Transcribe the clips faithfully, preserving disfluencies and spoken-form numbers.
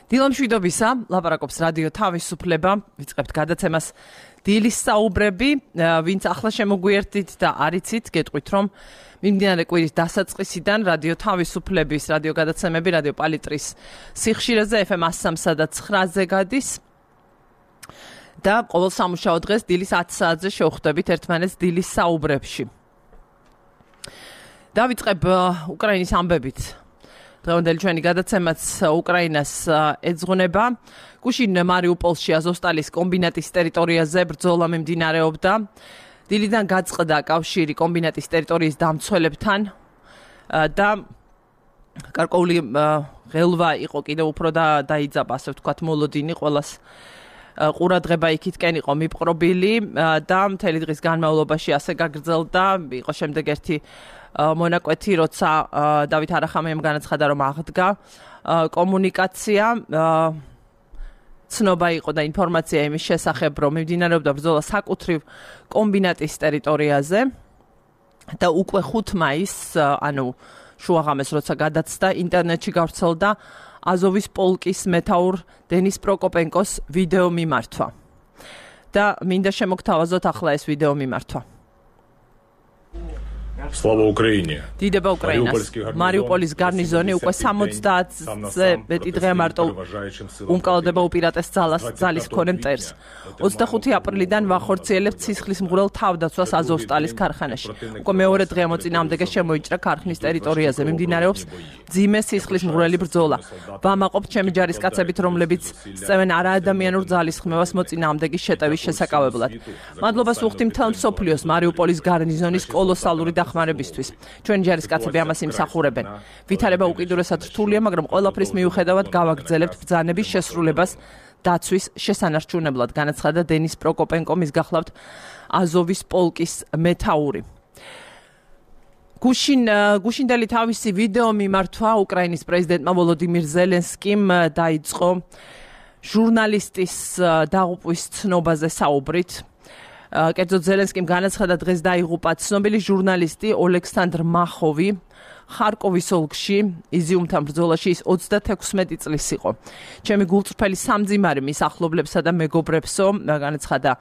დილამშვიდობისა, ლაპარაკობს რადიო თავისუფლება, ვიწყებთ გადაცემას დილის საუბრები, ვინც ახლა შემოგვიერთდით და არიცით, გეტყვით რომ მიმდინარე კვირის დასაწყისიდან რადიო თავისუფლების რადიო გადაცემები რადიო პალიტრის სიხშირეზე ეფ ემ one oh three და nine-ზე გადის და ყოველ სამუშაო დღეს დილის ათი საათზე შევხვდებით ერთმანეთს დილის საუბრებში. დავიწყებ უკრაინის ამბებით. დღევანდელი ჩვენი გადაცემაც უკრაინას ეძღვნება. გუშინ მარიუპოლში აზოვსტალის კომბინატის ტერიტორიაზე ბრძოლა მიმდინარეობდა. დილიდან გაწყდა კავშირი კომბინატის ტერიტორიის დამცველებთან და გარკვეული ღელვა იყო კიდევ უფრო და დაიძაბა, ასე ვთქვათ, მოლოდინი ყველას ყურადღება იქითკენ იყო მიპყრობილი და მთელი დღის განმავლობაში ასე გაგრძელდა. იყო შემდეგ ერთი მონაკვეთი, როცა დავით არახამიამ განაცხადა, რომ აღდგა კომუნიკაცია. ცნობა იყო და ინფორმაცია იმის შესახებ, რომ მიმდინარეობდა ბრძოლა საკუთრივ კომბინატის ტერიტორიაზე და უკვე ხუთი მაისს, ანუ შუაღამეს, როცა გადაცდა, ინტერნეტში გავრცელდა აზოვის პოლკის მეთაურ დენის პროკოპენკოს ვიდეო მიმართვა. და მინდა შემოგთავაზოთ ახლა ეს ვიდეო მიმართვა. Слава Украине. დიდება უკრაინას. მარიუპოლის გარნიზონი უკვე სამოცდაათზე მეტი დღე მარტო უმკალდება უპირატეს ძალას ძალის მქონე მტერს. ოცდახუთი აპრილიდან ვახორციელებთ სისხლის მღვრელ თავდაცვას აზოვსტალის ქარხანაში. უკვე მეორე დღე მოწინააღმდეგე შემოიჭრა ქარხნის ტერიტორიაზე. მიმდინარეობს ძიმე სისხლის მღვრელი ბრძოლა. ვამაყობთ ჩემი ჯარისკაცებით, რომლებიც სწევენ არაადამიანურ ძალის ხმევას მოწინააღმდეგის შეტევის შესაკავებლად. მადლობას ვუხდი მთელ მსოფლიოს მარიუპოლის გარნიზონის კოლოსალური დახმარებისთვის. ჩვენი ჯარისკაცები ამას იმსახურებენ. ვითარება უკიდურესად რთულია, მაგრამ ყველაფრის მიუხედავად გავაგრძელებთ ბრძანების შესრულებას დაცვის შესანარჩუნებლად, განაცხადა დენის პროკოპენკო, მის გახლავთ აზოვის პოლკის მეთაური. გუშინ გუშინდელი თავისი ვიდეო მიმართვა უკრაინის პრეზიდენტმა ვოლოდიმირ ზელენსკიმ დაიწყო ჟურნალისტის დაღუპვის ცნობაზე საუბრით. კერძოდ ზელენსკიმ განაცხადა, დღეს დაიღუპა ცნობილი ჟურნალისტი ოლექსანდრ მახოვი. ხარკოვის ოლქში იზიუმთან ბრძოლაში ის ოცდათექვსმეტი წლის იყო. ჩემი გულწრფელი სამძიმარი მის ახლობლებსა და მეგობრებსო, განაცხადა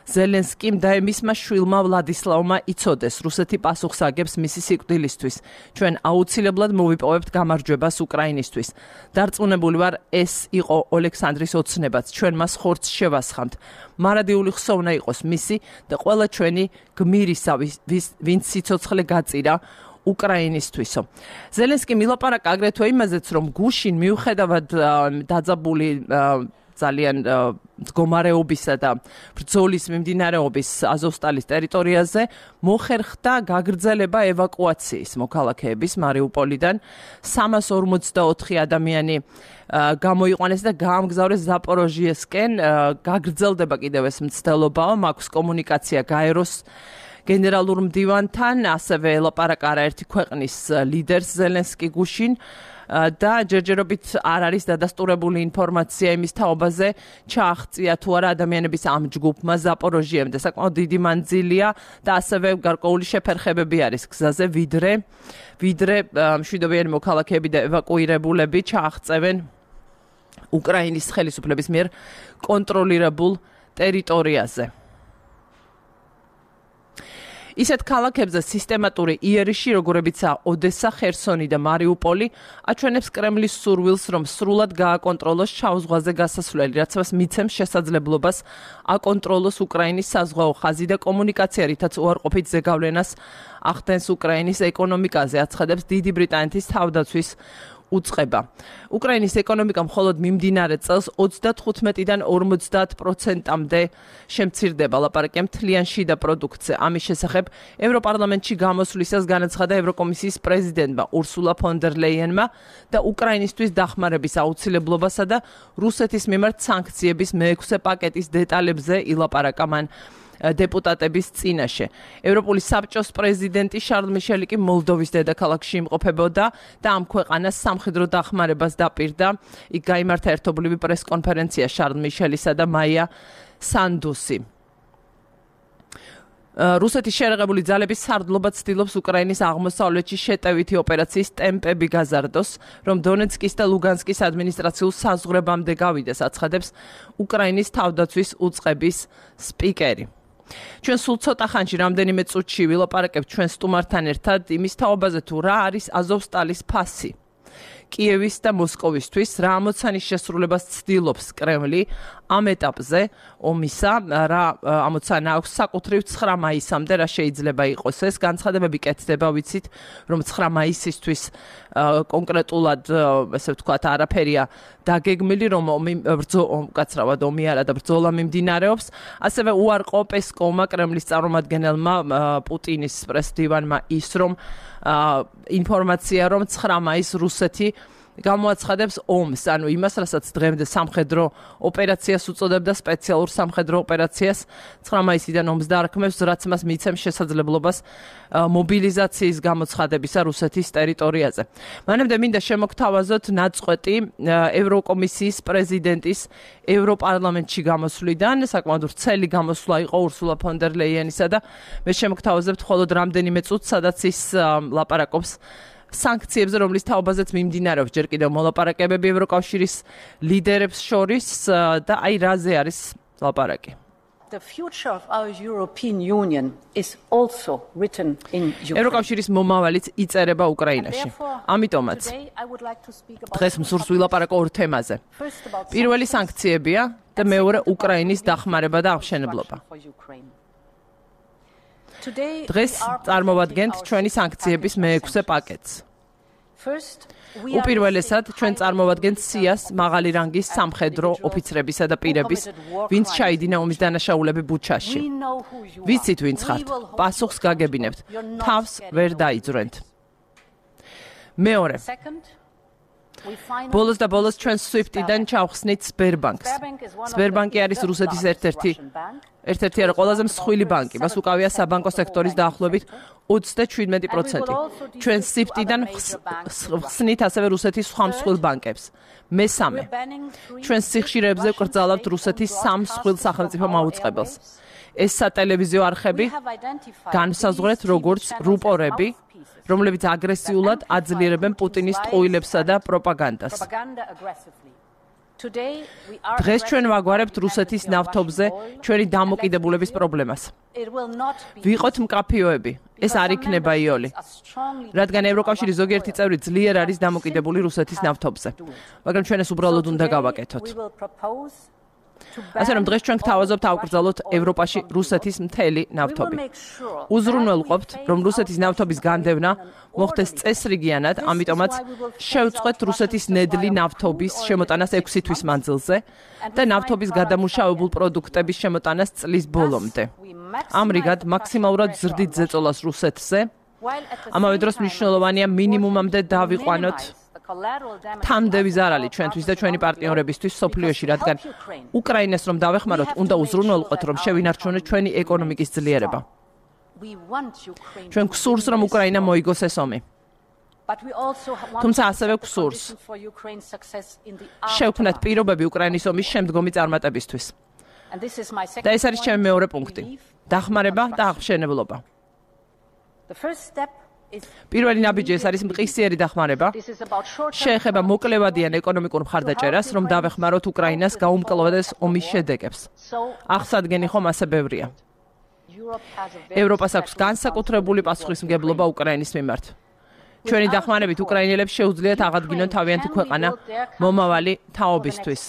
ზელენსკიმ და მისმა შვილმა ვლადისლავმა იცოდეს, რუსეთი პასუხს აგებს მისი სიკვდილისთვის. ჩვენ აუცილებლად მოვიპოვებთ გამარჯვებას უკრაინისთვის. დარწმუნებული ვარ, ეს იყო ოლექსანდრის ოცნებაც. ჩვენ მას ხორცს შევასხამთ. მარადიული ხსოვნა იყოს მისი და ყველა ჩვენი გმირისა, ვინც სიცოცხლე გაწირა უკრაინისთვისო. ზელენსკიმ ილაპარაკა აგრეთვე იმაზეც, რომ გუშინ მიუხედავად დაძაბული ძალიან მდგომარეობისა და ბრძოლის მიმდინარეობის აზოვსტალის ტერიტორიაზე მოხერხდა გაგრძელება ევაკუაციის მოქალაქეების მარიუპოლიდან. სამას ორმოცდაოთხი ადამიანი გამოიყვანეს და გაამგზავრეს ზაპოროჟიესკენ. გაგრძელდება კიდევ ეს მცდელობა, მაქვს კომუნიკაცია გაეროს გენერალურ მდივანთან, ასევე ელაპარაკა არაერთი ქვეყნის ლიდერს ზელენსკი გუშინ. და ჯერჯერობით არ არის დადასტურებული ინფორმაცია იმის თაობაზე, ჩააღწია თუ არა ადამიანების ამ ჯგუფმა ზაპოროჟიემდე. საკმაოდ დიდი მანძილია და ასევე გარკვეული შეფერხებები არის გზაზე, ვიდრე ვიდრე მშვიდობიანი მოქალაქეები და ევაკუირებულები ჩააღწევენ უკრაინის ხელისუფლების მიერ კონტროლირებულ ტერიტორიაზე. ისეთ ქალაქებზე სისტემატური იერიში, როგორებიცაა ოდესა, ხერსონი და მარიუპოლი, აჩვენებს კრემლის სურვილს, რომ სრულად გააკონტროლოს შავ ზღვაზე გასასვლელი, რაც მას მიცემს შესაძლებლობას აკონტროლოს უკრაინის საზღვაო ხაზი და კომუნიკაცია, რითაც უარყოფით ზეგავლენას ახდენს უკრაინის ეკონომიკაზე, აცხადებს დიდი ბრიტანეთის თავდაცვის უწყება. უკრაინის ეკონომიკა მხოლოდ მიმდინარე წელს ოცდათხუთმეტიდან ორმოცდაათ პროცენტამდე შემცირდება, ლაპარაკია მთლიან შიდა პროდუქტზე. ამის შესახებ ევროპარლამენტში გამოსვლისას განაცხადა ევროკომისიის პრეზიდენტმა ურსულა ფონ დერ ლეიენმა და უკრაინისთვის დახმარების აუცილებლობასა და რუსეთის მიმართ სანქციების მეექვსე პაკეტის დეტალებზე ილაპარაკა მან დეპუტატების წინაშე. ევროპული საბჭოს პრეზიდენტი შარლ მიშელი კი მოლდოვის დედაქალაქში იმყოფებოდა და ამ ქვეყანას სამხედრო დახმარებას დაპირდა. იქ გაიმართა ერთობლივი პრესკონფერენცია შარლ მიშელისა და მაია სანდუსი. რუსეთის შერეღებული ძალების სარდლობა ცდილობს უკრაინის აღმოსავლეთში შეტევითი ოპერაციის ტემპები გაზარდოს, რომ დონეცკის და ლუგანსკის ადმინისტრაციულ საზღვრებამდე გავიდეს, აცხადებს უკრაინის თავდაცვის უწყების სპიკერი. ჩვენ სულ ცოტა ხანში რამდენიმე წუთში ვილაპარაკებთ ჩვენ სტუმართან ერთად იმის თაობაზე თუ რა არის აზოვსტალის ფასი. კიევის და მოსკოვისთვის რა ამოცანის შესრულებას ცდილობს კრემლი ამ ეტაპზე ომისა, რა ამოცანა აქვს საკუთრივ ცხრა მაისამდე, რა შეიძლება იყოს ეს განცხადებები კეთდება, ვიცით, რომ ცხრა მაისისთვის კონკრეტულად, ესე ვთქვათ, არაფერია დაგეგმილი, რომ ომი უკაცრავად ომი არა და ბრძოლა მიმდინარეობს. ასევე უარყო პესკოვმა კრემლის წარმომადგენელმა პუტინის პრესდივანმა ის, რომ ინფორმაცია, რომ ცხრა მაისს რუსეთი გამოაცხადებს ომს, ანუ იმას, რასაც დღემდე სამხედრო ოპერაციას უწოდებდა, სპეციალურ სამხედრო ოპერაციას, ცხრა მაისიდან ომს დაარქმევს, რაც მას მიცემს შესაძლებლობას მობილიზაციის გამოცხადებისა რუსეთის ტერიტორიაზე. მანამდე მინდა შემოგთავაზოთ ნაწყვეტი ევროკომისიის პრეზიდენტის ევროპარლამენტში გამოსვლიდან, საკმაოდ ვრცელი გამოსვლა იყო ურსულა ფონ დერ ლეიენისა და მე შემოგთავაზებთ მხოლოდ რამდენიმე წუთს, სადაც ის ლაპარაკობს სანქციებზე, რომლის თაობაზეც მიმდინარეობს ჯერ კიდევ მოლაპარაკებები ევროკავშირის ლიდერებს შორის და აი რაზე არის ლაპარაკი. The future of our European Union is also written in Ukraine. ევროკავშირის მომავალიც იწერება უკრაინაში. ამიტომაც დღეს მსურს ვილაპარაკო ორ თემაზე. პირველი სანქციებია და მეორე უკრაინის დახმარება და აღშენებლობა. დღეს წარმოვადგენთ ჩვენი სანქციების მეექვსე პაკეტს. უპირველესად ჩვენ წარმოვადგენთ სიას მაღალი რანგის სამხედრო ოფიცრებისა და პირების, ვინც ჩაიდინა ომის დანაშაულები ბუჩაში. ვიცით ვინც ხართ, პასუხს გაგებინებთ, თავს ვერ დაიძვრენთ. მეორე ბოლოს და ბოლოს ჩვენ სვიფტიდან ჩავხსნით სბერბანკს. სბერბანკი არის რუსეთის ერთ-ერთი ერთ-ერთი არა ყველაზე მსხვილი ბანკი. მას უკავია საბანკო სექტორის დაახლოებით ოცდაშვიდმეტი პროცენტი. ჩვენ სვიფტიდან ხსნით ასევე რუსეთის სხვა მსხვილ ბანკებს. მესამე ჩვენ სიხშირეებზე ვკრძალავთ რუსეთის სამ მსხვილ სახელმწიფო მაუწყებელს. ეს სატელევიზიო არხები განსაზღვრეთ როგორც რუპორები, რომლებიც აგრესიულად აძლიერებენ პუტინის ტყუილებსა და პროპაგანდას. დღეს ჩვენ ვაგვარებთ რუსეთის ნავთობზე ჩვენი დამოკიდებულების პრობლემას. ვიყოთ მკაფიოები, ეს არ იქნება იოლი. რადგან ევროკავშირის ზოგიერთი წევრი ძლიერ არის დამოკიდებული რუსეთის ნავთობზე. მაგრამ ჩვენ ეს უბრალოდ უნდა გავაკეთოთ. ასე რომ დღეს ჩვენ გთავაზობთ ავკრძალოთ ევროპაში რუსეთის მთელი ნავთობი. უზრუნველყოფთ, რომ რუსეთის ნავთობის განდევნა მოხდეს წესრიგიანად, ამიტომაც შევწყვეთ რუსეთის ნედლი ნავთობის შემოტანას ექვსი თვის მანძილზე და ნავთობის გადამუშავებულ პროდუქტების შემოტანას წლის ბოლომდე. ამრიგად, მაქსიმალურად ზრდით ზეწოლას რუსეთზე, ამავე დროს მნიშვნელოვანია მინიმუმამდე დავიყვანოთ თამდევი ზარალი ჩვენთვის და ჩვენი პარტნიორებისთვის სოფლიოში, რადგან უკრაინას რომ დავეხმაროთ, უნდა უზრუნველყოთ, რომ შევინარჩუნოთ ჩვენი ეკონომიკის ძლიერება. ჩვენ გვსურს, რომ უკრაინა მოიგოს ეს ომი. თუმცა ასევე გვსურს შევქმნათ პირობები უკრაინის ომის შემდგომი წარმატებისთვის. და ეს არის ჩემი მეორე პუნქტი. დახმარება და აღშენებლობა. პირველი ნაბიჯი ეს არის მყისიერი დახმარება. შეეხება მოკლევადიან ეკონომიკურ მხარდაჭერას, რომ დავეხმაროთ უკრაინას გაუმკლავდეს ომის შედეგებს. აღსადგენი ხომ ასე ბევრია. ევროპას აქვს განსაკუთრებული პასუხისმგებლობა უკრაინის მიმართ. ჩვენი დახმარებით უკრაინელებს შეუძლიათ აღადგინონ თავიანთი ქვეყანა მომავალი თაობისთვის.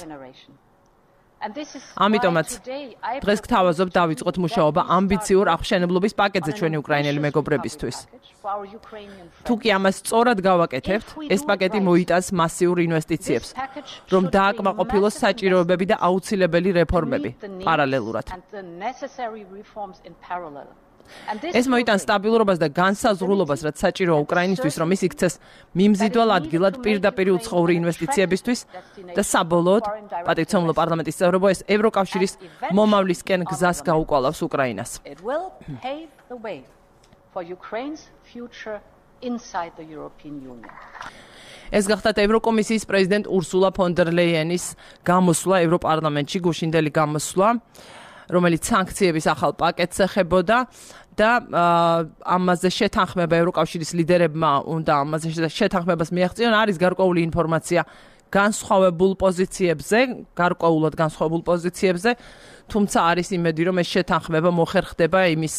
ამიტომაც დღეს გთავაზობ დავიწყოთ მუშაობა ამბიციურ აღშენებლობის პაკეტზე ჩვენი უკრაინელი მეგობრებისთვის. თუ კი ამას სწორად გავაკეთებთ, ეს პაკეტი მოიტანს მასიურ ინვესტიციებს, რომ დააკმაყოფილოს საჭიროებები და აუცილებელი რეფორმები პარალელურად. ეს მოიტანს სტაბილურობას და განსაზღვრულობას, რაც საჭიროა უკრაინისთვის, რომ ის იქცეს მიმზიდველ ადგილად პირდაპირ უცხოური ინვესტიციებისთვის და საბოლოოდ, პატივცემულო პარლამენტის წევრებო, ეს ევროკავშირის მომავლისკენ გზას გაუკვალავს უკრაინას. ეს გახდათ ევროკომისიის პრეზიდენტ ურსულა ფონ დერ ლეიენის გამოსვლა ევროპარლამენტში, გუშინდელი გამოსვლა. რომელიც სანქციების ახალ პაკეტს ეხებოდა და ამაზე შეთანხმება ევროკავშირის ლიდერებმა უნდა ამაზე შეთანხმებას მიაღწიონ. არის გარკვეული ინფორმაცია განსხვავებულ პოზიციებზე, გარკვეულად განსხვავებულ პოზიციებზე, თუმცა არის იმედი, რომ ეს შეთანხმება მოხერხდება იმის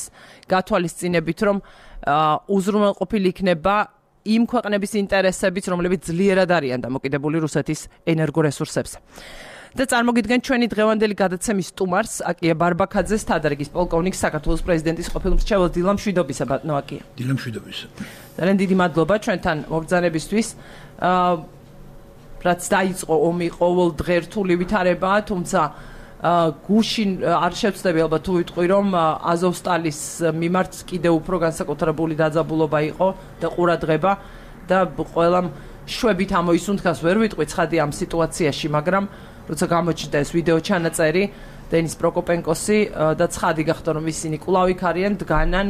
გათვალისწინებით, რომ უზრუნველყოფილი იქნება იმ ქვეყნების ინტერესებით, რომლებიც ძლიერად არიან დამოკიდებული რუსეთის ენერგორესურსებზე. და წარმოგიდგენთ ჩვენი დღევანდელი გადაცემის სტუმარს, აკია ბარბაქაძეს, თადარიგის პოლკოვნიკს, საქართველოს პრეზიდენტის ყოფილ მრჩეველს დილა მშვიდობისა, ბატონო აკია. დილა მშვიდობისა. ძალიან დიდი მადლობა ჩვენთან მობრძანებისთვის. აა რაც დაიწყო ომი ყოველ დღე რთული ვითარებაა, თუმცა გუშინ არ შევწდები ალბათ თუ ვიტყვი, რომ აზოვსტალის მიმართ კიდევ უფრო განსაკუთრებული დაძაბულობა იყო და ყურადღება და ყველამ შვებით ამოისუნთქას, ვერ ვიტყვი ცხადი ამ სიტუაციაში, მაგრამ როცა გამოჩნდა ეს ვიდეო ჩანაწერი დენის პროკოპენკოსი და ცხადი გახდა, რომ ისინი კვლავ იქ არიან, დგანან,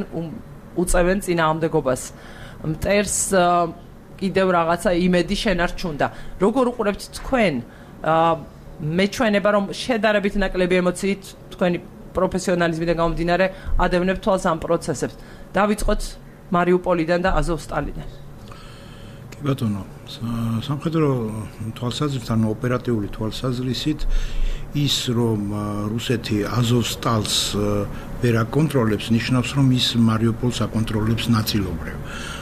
უწევენ წინააღმდეგობას. მტერს კიდევ რაღაცა იმედი შენარჩუნდა. როგორ უყურებთ თქვენ მეჩვენება, რომ შედარებით ნაკლები ემოციით თქვენი პროფესიონალიზმიდან გამომდინარე ადევნებთ თვალს ამ პროცესებს. დავიწყოთ მარიუპოლიდან და აზოვსტალიდან. კი ბატონო, სამხედრო თვალსაზრისით, ანუ ოპერატიული თვალსაზრისით ის, რომ რუსეთი აზოვსტალს ვერ აკონტროლებს, ნიშნავს, რომ ის მარიუპოლს აკონტროლებს ნაწილობრივ.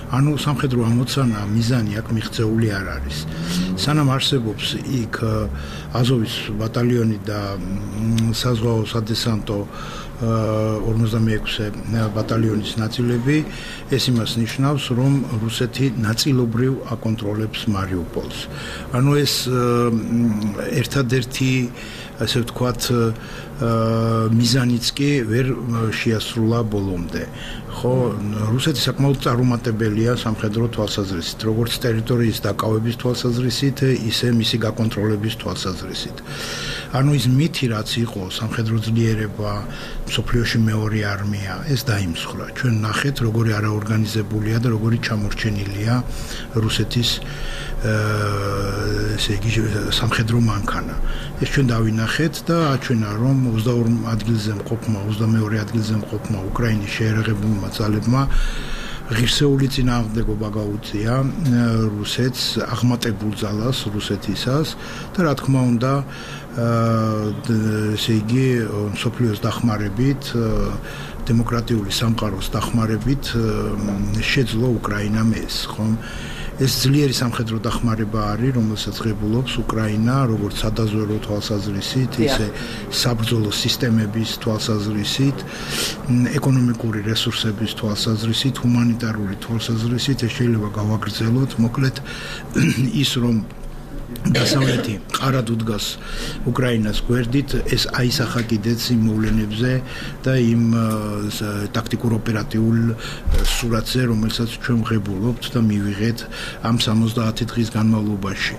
ანუ სამხედრო ამოცანა მიზანი აქ მიღწეული არ არის. სანამ არსებობს იქ აზოვის ბატალიონი და საზღვაო სადესანტო ორმოცდამეექვსე ბატალიონის ნაწილები, ეს იმას ნიშნავს, რომ რუსეთი ნაწილობრივ აკონტროლებს მარიუპოლს. ანუ ეს ერთადერთი ასე ვთქვათ მიზანიც კი ვერ შეასრულა ბოლომდე. ხო, რუსეთი საკმაოდ წარუმატებელია სამხედრო თვალსაზრისით, როგორც ტერიტორიის დაკავების თვალსაზრისით, ისე მისი გაკონტროლების თვალსაზრისით. ანუ ის მითი, რაც იყო სამხედრო ძლიერება, მსოფლიოში მეორე არმია, ეს დაიმსხვრა. ჩვენ ნახეთ, როგორი არაორგანიზებულია და როგორი ჩამორჩენილია რუსეთის ესე იგი სამხედრო მანქანა. ეს ჩვენ დავინახეთ და აჩვენა, რომ ოცდაორ ადგილზე მყოფმა, ოცდამეორე ადგილზე მყოფმა უკრაინის შეერაღებულმა ძალებმა ღირსეული წინააღმდეგობა გაუწია რუსეთს, აღმატებულ ძალას რუსეთისას და რა თქმა უნდა ესე იგი მსოფლიოს დახმარებით, დემოკრატიული სამყაროს დახმარებით შეძლო უკრაინამ ეს, ხომ? ეს ძლიერი სამხედრო დახმარება არის, რომელსაც ღებულობს უკრაინა, როგორც სადაზვერვო თვალსაზრისით, ისე საბრძოლო სისტემების თვალსაზრისით, ეკონომიკური რესურსების თვალსაზრისით, ჰუმანიტარული თვალსაზრისით, ეს შეიძლება გავაგრძელოთ, მოკლედ ის რომ დასავლეთი ყარად უდგას უკრაინას გვერდით, ეს აისახა კიდეც იმ მოვლენებზე და იმ ტაქტიკურ ოპერატიულ სურათზე, რომელსაც ჩვენ ვღებულობთ და მივიღეთ ამ სამოცდაათი დღის განმავლობაში.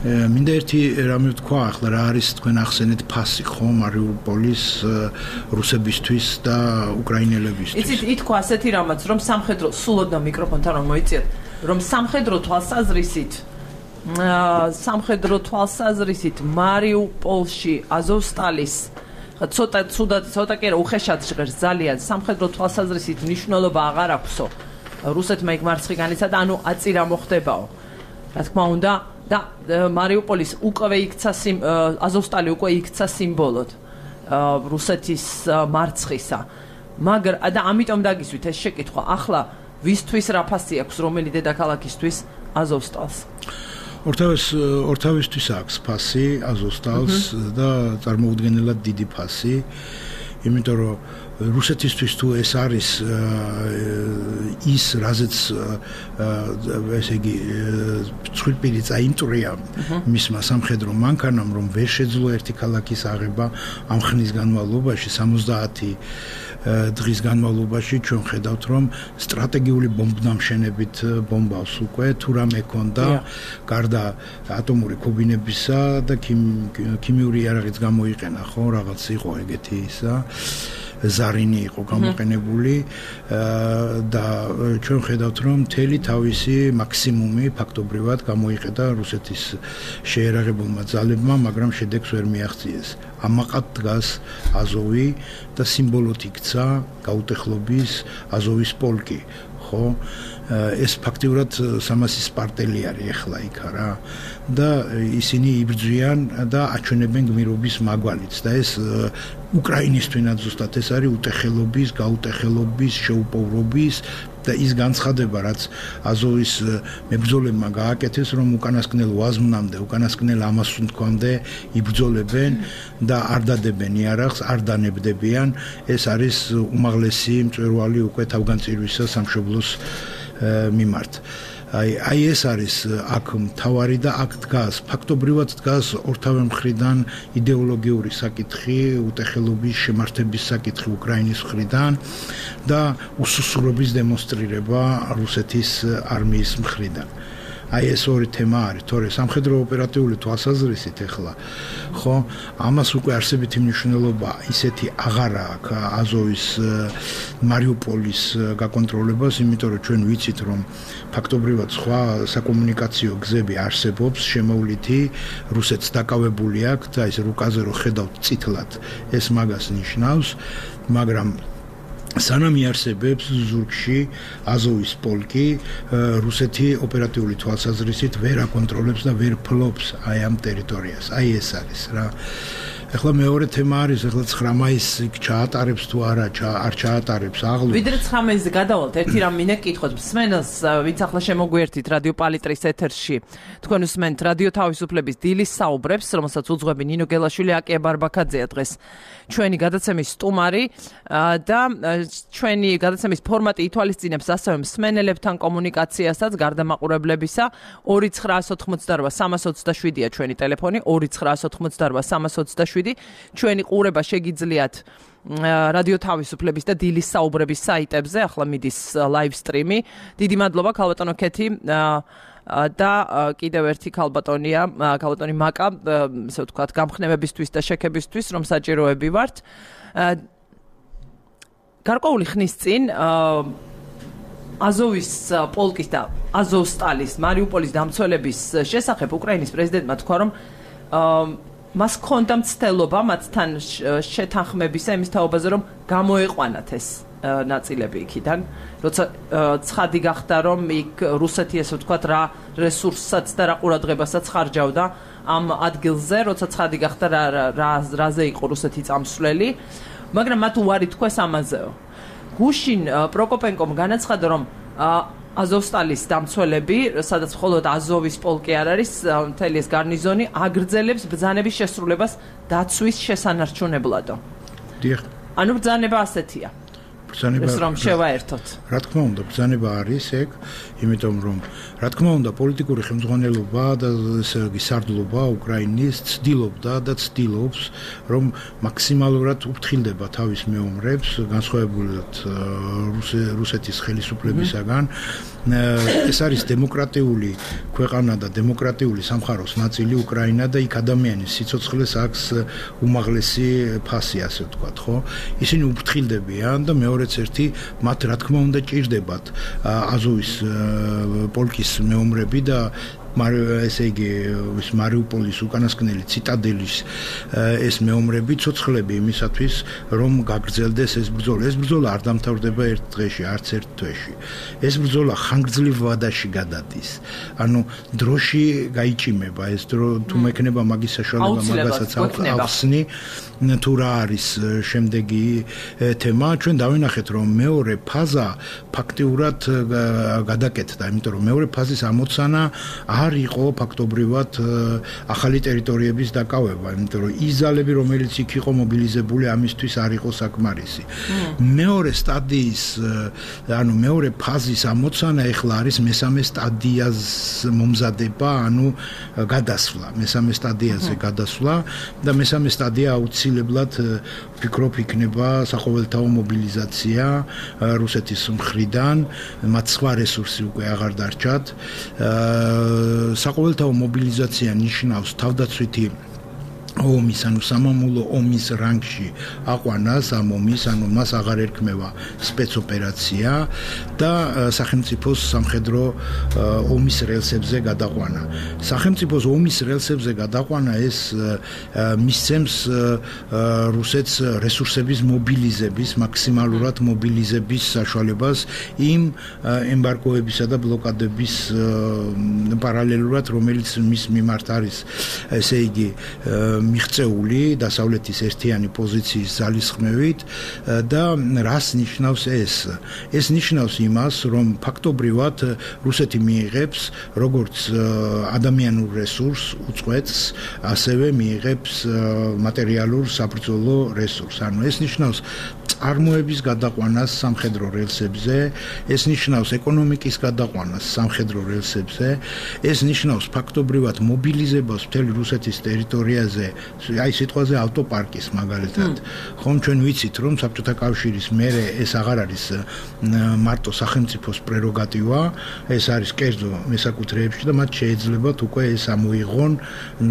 მინდა ერთი რამე ვთქვა, ახლა რა არის თქვენ ახსენეთ ფასი, ხო, მარიუპოლის რუსებისთვის და უკრაინელებისთვის. იცით, ითქვა ასეთი რამაც, რომ სამხედრო სულოდნა მიკროფონთან რომ მოიწიეთ, რომ სამხედრო თვალსაზრისით სამხედრო თვალსაზრისით მარიუპოლში აზოვსტალის ცოტა ცუდად ცოტა კი არა უხეშად ჟღერს ძალიან სამხედრო თვალსაზრისით მნიშვნელობა აღარ აქვსო რუსეთმა იქ მარცხი განიცადა, ანუ აწირა მოხდებაო. რა თქმა უნდა და მარიუპოლის უკვე იქცა აზოვსტალი უკვე იქცა სიმბოლოდ რუსეთის მარცხისა. მაგრამ და ამიტომ დაგისვით ეს შეკითხვა, ახლა ვისთვის რა ფასი აქვს, რომელი დედაქალაქისთვის აზოვსტალს? ორთავის ორთავისთვის აქვს ფასი აზოვსტალს და წარმოუდგენელად დიდი ფასი, იმიტომ რომ რუსეთისთვის თუ ეს არის ის, რაზეც ესე იგი ცხვირპირი წაიმტრია მისმა სამხედრო მანქანამ, რომ ვერ შეძლო ერთი ქალაქის აღება ამ ხნის განმავლობაში, სამოცდაათი დღის განმავლობაში ჩვენ ხედავთ, რომ სტრატეგიული ბომბდამშენებით ბომბავს უკვე თუ რამე ქონდა, გარდა ატომური ქობინებისა და ქიმიური იარაღიც გამოიყენა, ხო, რაღაც იყო ეგეთი ისა. ზარინი იყო გამოყენებული და ჩვენ ხედავთ რომ მთელი თავისი მაქსიმუმი ფაქტობრივად გამოიყედა რუსეთის შეერაღებულმა ძალებმა, მაგრამ შედეგს ვერ მიაღწიეს. ამაყად დგას აზოვი და სიმბოლოდ იქცა გაუტეხლობის აზოვის პოლკი, ხო? ეს ფაქტიურად სამასი სპარტელი არის ახლა იქ რა და ისინი იბრძვიან და აჩვენებენ გმირობის მაგვალითს და ეს უკრაინისთვისაც ზუსტად ეს არის უტეხელობის, გაუტეხელობის, შეუპოვრობის და ის განცხადება, რაც აზოვის მებრძოლებმა გააკეთეს, რომ უკანასკნელ ვაზმნამდე, უკანასკნელ ამასუნთქვამდე იბრძოლებენ და არ დადებენ იარაღს, არ დანებდებიან, ეს არის უმაღლესი მწვერვალი უკვე თავგანწირვისა სამშობლოს მიმართ. აი აი ეს არის აქ მთავარი და აქ დგას ფაქტობრივად დგას ორთავე მხრიდან იდეოლოგიური საკითხი, უტეხელობის შემართების საკითხი უკრაინის მხრიდან და უსუსურობის დემონსტრირება რუსეთის არმიის მხრიდან. აი ეს ორი თემა არის, თორე სამხედრო ოპერატიული თვალსაზრისით ახლა ხო ამას უკვე არსებითი მნიშვნელობა ისეთი აღარა აქვს აზოვის მარიუპოლის გაკონტროლებას, იმიტომ რომ ჩვენ ვიცით რომ ფაქტობრივად სხვა საკომუნიკაციო გზები არსებობს შემოვლითი, რუსეთს დაკავებული აქვს და ეს რუკაზე რო ხედავთ წითლად ეს მაგას ნიშნავს, მაგრამ სანამ იარსებებს ზურგში აზოვის პოლკი რუსეთი ოპერატიული თვალსაზრისით ვერ აკონტროლებს და ვერ ფლობს აი ამ ტერიტორიას. აი ეს არის რა. ახლა მეორე თემა არის, ახლა ცხრა მაისს ჩაატარებს თუ არა, არ ჩაატარებს აღლუ. ვიდრე ცხრა მაისზე გადავალთ, ერთი რამ მინდა გკითხოთ. მსმენელს, ვინც ახლა შემოგვიერთით რადიო პალიტრის ეთერში. თქვენ უსმენთ რადიო თავისუფლების დილის საუბრებს, რომელსაც უძღვები ნინო გელაშვილი, აკია ბარბაქაძეა დღეს. ჩვენი გადაცემის სტუმარი და ჩვენი გადაცემის ფორმატი ითვალისწინებს ასევე მსმენელებთან კომუნიკაციასაც გარდა მაყურებლებისა. ორი ცხრაას ოთხმოცდარვა სამას ოცდაშვიდია ჩვენი ტელეფონი, ორი ცხრაას ოთხმოცდარვა სამას ოცდაშვიდი. ჩვენი ყურება შეგიძლიათ რადიო თავისუფლების და დილის საუბრების საიტებზე, ახლა მიდის live stream-ი. დიდი მადლობა ქალბატონო ქეთი და კიდევ ერთი ქალბატონია, ქალბატონი მაკა, ესე ვთქვათ, გამხნევებისთვის და შექებისთვის, რომ საჭიროები ვართ. გარკვეული ხნის წინ აზოვის პოლკის და აზოვსტალის, მარიუპოლის დამცველების შესახებ უკრაინის პრეზიდენტმა თქვა, რომ მას ჰქონდა მცდელობა მათთან შეთანხმებისა იმის თაობაზე, რომ გამოეყვანათ ეს ნაწილები იქიდან, როცა ცხადი გახდა, რომ იქ რუსეთი ესე ვთქვათ რა რესურსსაც და რა ყურადღებასაც ხარჯავდა ამ ადგილზე, როცა ცხადი გახდა რა რაზე იყო რუსეთი წამსვლელი, მაგრამ მათ უარი თქვეს ამაზეო. გუშინ პროკოპენკომ განაცხადა, რომ აზოვსტალის დამცველები, სადაც მხოლოდ აზოვის პოლკი არ არის, მთელი ეს გარნიზონი აგრძელებს ბრძანების შესრულებას დაცვის შესანარჩუნებლადო. დიახ. ანუ ბრძანება ასეთია. ბრძანება რომ შევაერთოთ. რა თქმა უნდა, ბრძანება არის ეგ, იმიტომ რომ რა თქმა უნდა, პოლიტიკური ხელმძღვანელობა და ესე იგი სარდლობა უკრაინის ცდილობდა და ცდილობს, რომ მაქსიმალურად უფრთხილდება თავის მეომრებს, განსხვავებულად რუსეთის ხელისუფლებისაგან. ეს არის დემოკრატიული ქვეყანა და დემოკრატიული სამყაროს ნაწილი უკრაინა და იქ ადამიანის სიცოცხლეს აქვს უმაღლესი ფასი, ასე ვთქვათ, ხო? ისინი უფრთხილდებიან და მეორეც ერთი მათ რა თქმა უნდა ჭირდებათ აზოვის პოლკის მეომრები და ესე იგი ეს მარიუპოლის უკანასკნელი ციტადელის ეს მეომრები ცოცხლები იმისათვის რომ გაგრძელდეს ეს ბრძოლა. ეს ბრძოლა არ დამთავრდება ერთ დღეში, არც ერთ თვეში. ეს ბრძოლა ხანგრძლივ ვადაში გადადის. ანუ დროში გაიჭიმება ეს დრო თუ მექნება მაგის საშუალება მაგასაც ახსნი თუ რა არის შემდეგი თემა. ჩვენ დავინახეთ რომ მეორე ფაზა ფაქტიურად გადაკეთდა, იმიტომ რომ მეორე ფაზის ამოცანა არ იყო ფაქტობრივად ახალი ტერიტორიების დაკავება, იმიტომ რომ ის ძალები, რომელიც იქ იყო მობილიზებული, ამისთვის არ იყო საკმარისი. მეორე სტადიის, ანუ მეორე ფაზის ამოცანა ეხლა არის მესამე სტადიას მომზადება, ანუ გადასვლა, მესამე სტადიაზე გადასვლა და მესამე სტადია აუცილებლად ვფიქრობ იქნება საყოველთაო მობილიზაცია რუსეთის მხრიდან, მათ სხვა რესურსი უკვე აღარ დარჩათ. საყოველთაო მობილიზაცია ნიშნავს თავდაცვითი ომის, ანუ სამამულო ომის რანგში აყვანას ამ ომის, ანუ მას აღარ ერქმევა სპეცოპერაცია და სახელმწიფოს სამხედრო ომის რელსებზე გადაყვანა. სახელმწიფოს ომის რელსებზე გადაყვანა ეს მისცემს რუსეთს რესურსების მობილიზების, მაქსიმალურად მობილიზების საშუალებას იმ ემბარგოებისა და ბლოკადების პარალელურად, რომელიც მის მიმართ არის, ესე იგი მიღწეული დასავლეთის ერთიანი პოზიციის ძალისხმევით და რას ნიშნავს ეს? ეს ნიშნავს იმას, რომ ფაქტობრივად რუსეთი მიიღებს როგორც ადამიანურ რესურსს უწყვეტს, ასევე მიიღებს მატერიალურ საბრძოლო რესურსს. ანუ ეს ნიშნავს წარმოების გადაყვანას სამხედრო რელსებზე, ეს ნიშნავს ეკონომიკის გადაყვანას სამხედრო რელსებზე, ეს ნიშნავს ფაქტობრივად მობილიზებას მთელი რუსეთის ტერიტორიაზე, აი სიტყვაზე ავტოპარკის მაგალითად. ხომ ჩვენ ვიცით, რომ საბჭოთა კავშირის მერე ეს აღარ არის მარტო სახელმწიფოს პრეროგატივა, ეს არის კერძო მესაკუთრეებში და მათ შეეძლებათ უკვე ეს ამოიღონ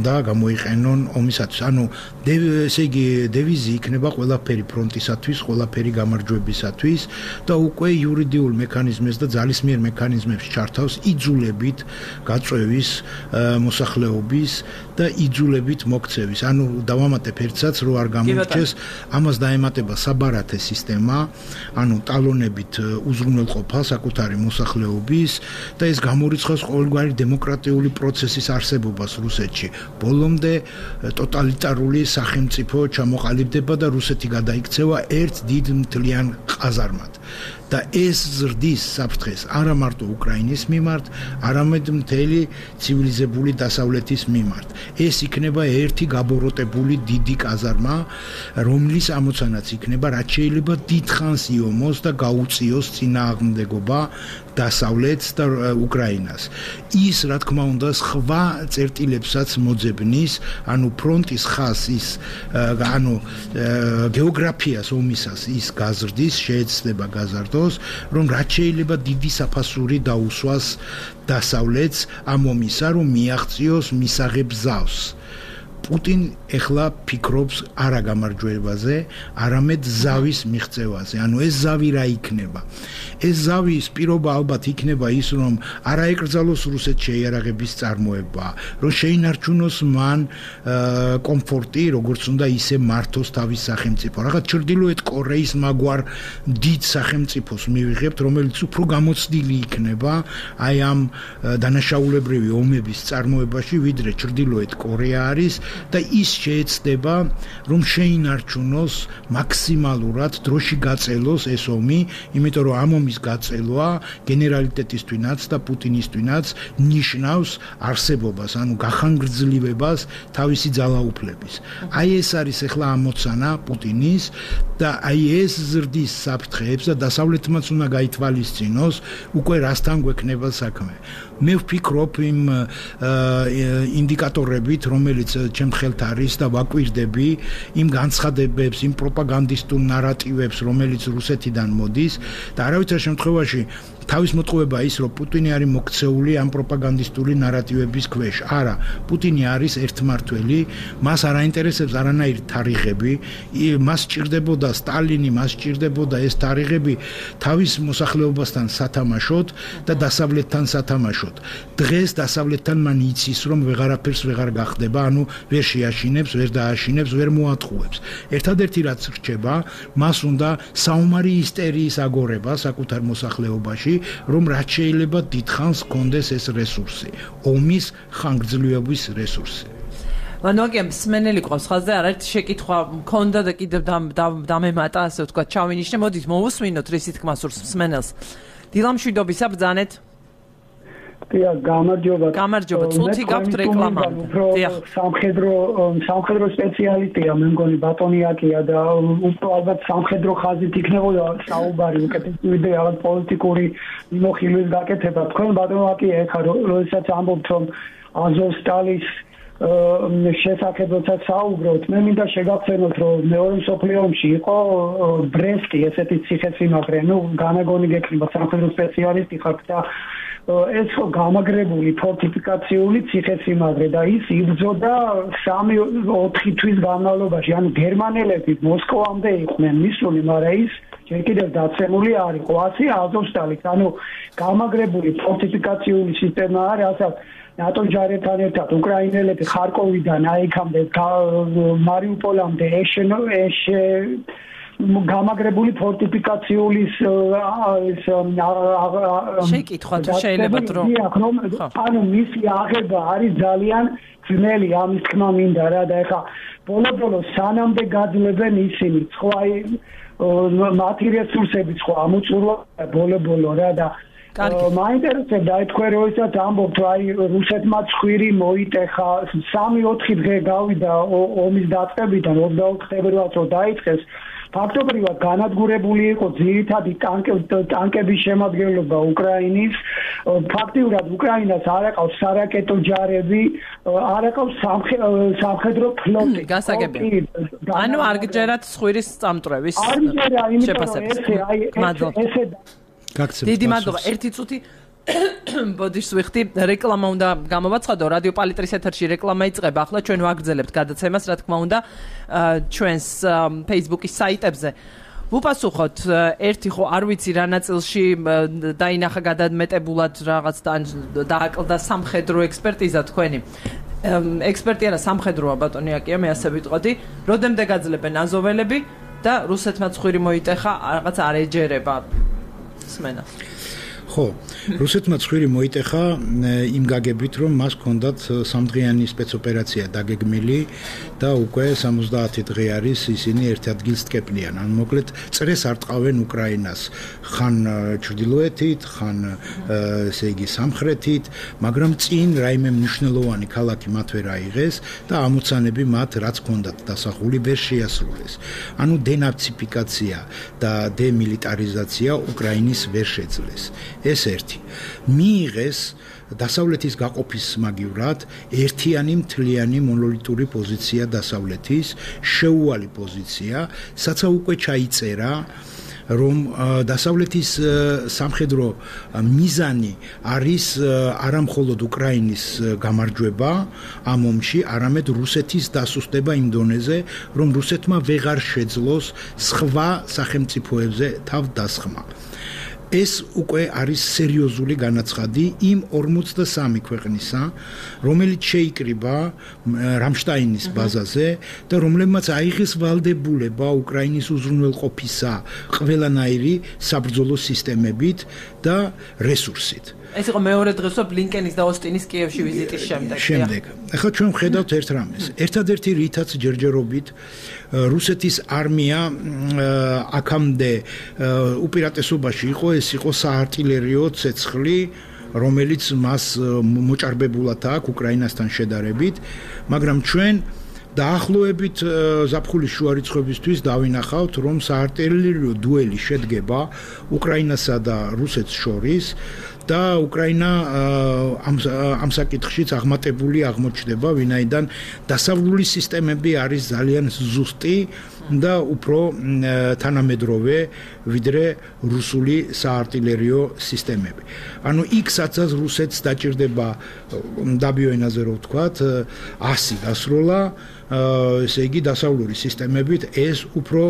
და გამოიყენონ ომისათვის. ანუ ესე იგი დევიზი იქნება ყველაფერი ფრონტისათვის, ყველაფერი გამარჯვებისათვის და უკვე იურიდიულ მექანიზმებს და ძალისმიერ მექანიზმებს ჩართავს იძულებით გაწვევის მოსახლეობის და იძულებით მოქცევის. ანუ დავამატებ ერთსაც, რო არ გამოიჩეს, ამას დაემატება საბარათე სისტემა, ანუ ტალონებით უზრუნველყოფა საკუთარი მოსახლეობის და ეს გამორიცხავს ყოველგვარი დემოკრატიული პროცესის არსებობას რუსეთში. ბოლომდე ტოტალიტარული სახელმწიფო ჩამოყალიბდება და რუსეთი გადაიქცევა ერთ დიდ მთლიან ყაზარმად. და ეს ზრდის საფრთხეს არა მარტო უკრაინის მიმართ, არამედ მთელი ცივილიზებული დასავლეთის მიმართ. ეს იქნება ერთი გაბოროტებული დიდი ყაზარმა, რომლის ამოცანაც იქნება, რაც შეიძლება დიდხანს იომოს და გაუწიოს წინააღმდეგობა დასავლეთს და უკრაინას. ის, რა თქმა უნდა, სხვა წერტილებსაც მოძებნის, ანუ ფრონტის ხაზის, ანუ გეოგრაფიას ომისას ის გაზრდის, შეეცდება გაზარდოს, რომ რაც შეიძლება დიდი საფასური დაუსვას დასავლეთს ამ ომისა, რომ მიაღწიოს მისაღებ ზავს. პუტინ ეხლა ფიქრობს არა გამარჯვებაზე, არამედ ზავის მიღწევაზე. ანუ ეს ზავი რა იქნება? ეს ზავის პირობა ალბათ იქნება ის, რომ არა ეკრძალოს რუსეთს შეიარაღების წარმოება, რომ შეინარჩუნოს მან კომფორტი, როგორც უნდა ისე მართოს თავის სახელმწიფო. რაღაც ჩრდილოეთ კორეის მაგვარ დიდ სახელმწიფოს მივიღებთ, რომელიც უფრო გამოცდილი იქნება აი ამ დანაშაულებრივი ომების წარმოებაში, ვიდრე ჩრდილოეთ კორეა არის. და ის შეეცდება, რომ შეინარჩუნოს მაქსიმალურად დროში გაწელოს ეს ომი, იმიტომ რომ ამ ომის გაწელვა გენერალიტეტისთვინაც და პუტინისთვინაც ნიშნავს არსებობას, ანუ გახანგრძლივებას თავისი ძალაუფლების. აი ეს არის ახლა ამოცანა პუტინის და აი ეს ზრდის საფრთხეებს და დასავლეთმაც უნდა გაითვალისწინოს უკვე რასთან გვექნება საქმე. მე ვფიქრობ იმ ინდიკატორებით, რომელიც ჩემ ხელთ არის და ვაკვირდები იმ განცხადებებს, იმ პროპაგანდისტულ ნარატივებს, რომელიც რუსეთიდან მოდის და არავითარ შემთხვევაში თავის მოტყუება ის, რომ პუტინი არის მოქცეული ამ პროპაგანდისტული ნარატივების ქვეშ. არა, პუტინი არის ერთმართველი, მას არ აინტერესებს არანაირი თარიღები, მას სჭირდებოდა სტალინი, მას სჭირდებოდა ეს თარიღები თავის მოსახლეობასთან სათამაშოდ და დასავლეთთან სათამაშოდ. დღეს დასავლეთთან მან იცის, რომ ვეღარაფერს ვეღარ გახდება, ანუ ვერ შეაშინებს, ვერ დააშინებს, ვერ მოატყუებს. ერთადერთი რაც რჩება, მას უნდა საომარი ისტერიის აგორება საკუთარ მოსახლეობაში, რომ რაც შეიძლება დიდხანს კონდეს ეს რესურსი, ომის ხანგრძლივობის რესურსი. ვანოაგემ სმენელი ყავს ხაზზე, არაერთი შეკითხვა მქონდა და კიდევ დამემატა, ასე ვთქვათ, ჩავინიშნე. მოდით მოვუსმინოთ რისი თქმა სურს მსმენელს. დილამშვიდობისა ბრძანეთ. დიახ, გამარჯობა. გამარჯობა, წუთი გაქვთ რეკლამამდე. დიახ, სამხედრო სამხედრო სპეციალისტია, მე მგონი ბატონიაკია და უფრო ალბათ სამხედრო ხაზით იქნებოდა საუბარი, უკეთესივე რაღაც პოლიტიკური მიმოხილვის გაკეთება. თქვენ ბატონიაკია ეხლა როდესაც ამბობთ, რომ აზოვსტალის შესახებ როცა საუბრობთ, მე მინდა შეგახსენოთ, რომ მეორე მსოფლიო ომში იყო ბრესტი, ესეთი ციხესიმაგრე, ну, განაგონი გექნება სამხედრო სპეციალისტი ხართ და ეს ხო გამაგრებული ფორტიფიკაციული ციხესიმაგრე და ის იბრძოდა სამი ოთხი თვის განმავლობაში, ანუ გერმანელები მოსკოვამდე იყვნენ მისული, მაგრამ ის ჯერ კიდევ დაცემული არ იყო. ასე აზოვსტალიც, ანუ გამაგრებული ფორტიფიკაციული სისტემა არის, რასაც ნატო ჯარებთან ერთად უკრაინელები ხარკოვიდან აიქამდე მარიუპოლამდე ეშენ ეშე გამაგრებული ფორტიფიკაციული ეს შეკითხვა თუ შეიძლება დრო ანუ მისი აღება არის ძალიან ძნელი, ამის თქმა მინდა რა და ეხა ბოლო-ბოლო სანამდე გაძლებენ ისინი ხო აი მათი რესურსები ხო ამოწურვა ბოლო-ბოლო რა და მაინტერესებდა თქვენ როდესაც ამბობთ აი რუსეთმა ცხვირი მოიტეხა სამი ოთხი დღე გავიდა ომის დაწყებიდან ოცდაოთხ თებერვალს რო დაიწყეს ფაქტობრივად განადგურებული იყო ძირითადი ტანკების შემადგენლობა უკრაინის ფაქტიურად უკრაინას არ აყავს სარაკეტო ჯარები არ აყავს სამხედრო ფლოტი გასაგებია ანუ არ გჯერათ ცხვირის წამტრევის შეფასების ესე დიდი მადლობა ერთი წუთი ბოდიშს ვიხდი რეკლამა უნდა გამოვაცხადო რადიო პალიტრის ეთერში რეკლამა იწყება ახლა ჩვენ ვაგრძელებთ გადაცემას რა თქმა უნდა ჩვენს Facebook-ის საიტებზე ვუპასუხოთ ერთი ხო არ ვიცი რა ნაწილში დაინახა გადამეტებულად რაღაც დააკლდა სამხედრო ექსპერტიზა თქვენი ექსპერტი არა სამხედროა ბატონი აკია მე ასე ვიტყოდი როდემდე გაძლებენ აზოველები და რუსეთმა ცხვირი მოიტეხა რაღაც არ ეჯერება სმენა ხო, რუსეთმა ცხვირი მოიტეხა იმ გაგებით, რომ მას ჰქონდათ სამდღიანი სპეცოპერაცია დაგეგმილი და უკვე სამოცდაათი დღე არის ისინი ერთ ადგილს ტკეპნიან. ან მოკლედ წრეს არ ტყავენ უკრაინას ხან ჩრდილოეთით, ხან ესე იგი სამხრეთით, მაგრამ წინ რაიმე მნიშვნელოვანი ქალაქი მათ ვერ აიღეს და ამოცანები მათ რაც ჰქონდათ დასახული ვერ შეასრულეს. ანუ დენაციფიკაცია და დემილიტარიზაცია უკრაინის ვერ შეძლეს. ეს ერთი მიიღეს დასავლეთის გაყოფის მაგივრად ერთიანი მთლიანი მონოლიტური პოზიცია დასავლეთის შეუვალი პოზიცია საცა უკვე ჩაიწერა რომ დასავლეთის სამხედრო მიზანი არის არა მხოლოდ უკრაინის გამარჯვება ამ ომში, არამედ რუსეთის დასუსტება იმ დონეზე, რომ რუსეთმა ვეღარ შეძლოს სხვა სახელმწიფოებზე თავ დასხმა. ეს უკვე არის სერიოზული განაცხადი იმ ორმოცდასამი ქვეყნისა, რომელიც შეიკრიბა რამშტაინის ბაზაზე და რომლებმაც აიღეს ვალდებულება უკრაინის უზრუნველყოფისა ყველანაირი საბრძოლო სისტემებით და რესურსით. ეს იყო მეორე დღესო ბლინკენის და ოსტინის კიევში ვიზიტის შემდეგ. შემდეგ. ახლა ჩვენ ვხედავთ ერთ რამეს. ერთადერთი რითაც ჯერჯერობით რუსეთის არმია აქამდე უპირატესობაში იყო, ეს იყო საარტილერიო ცეცხლი, რომელიც მას მოჭარბებულად აქვს უკრაინასთან შედარებით, მაგრამ ჩვენ დაახლოებით ზაფხულის შუა რიცხვებისთვის დავინახავთ, რომ საარტილერიო დუელი შედგება უკრაინასა და რუსეთს შორის და უკრაინა ამ ამ საკითხშიც აღმატებული აღმოჩნდება, ვინაიდან დასავლური სისტემები არის ძალიან ზუსტი და უფრო თანამედროვე ვიდრე რუსული საარტილერიო სისტემები. ანუ იქ სადაც რუსეთს დაჭირდება დაბიო ენაზე რო ვთქვათ, ასი გასროლა, ესე იგი დასავლური სისტემებით ეს უფრო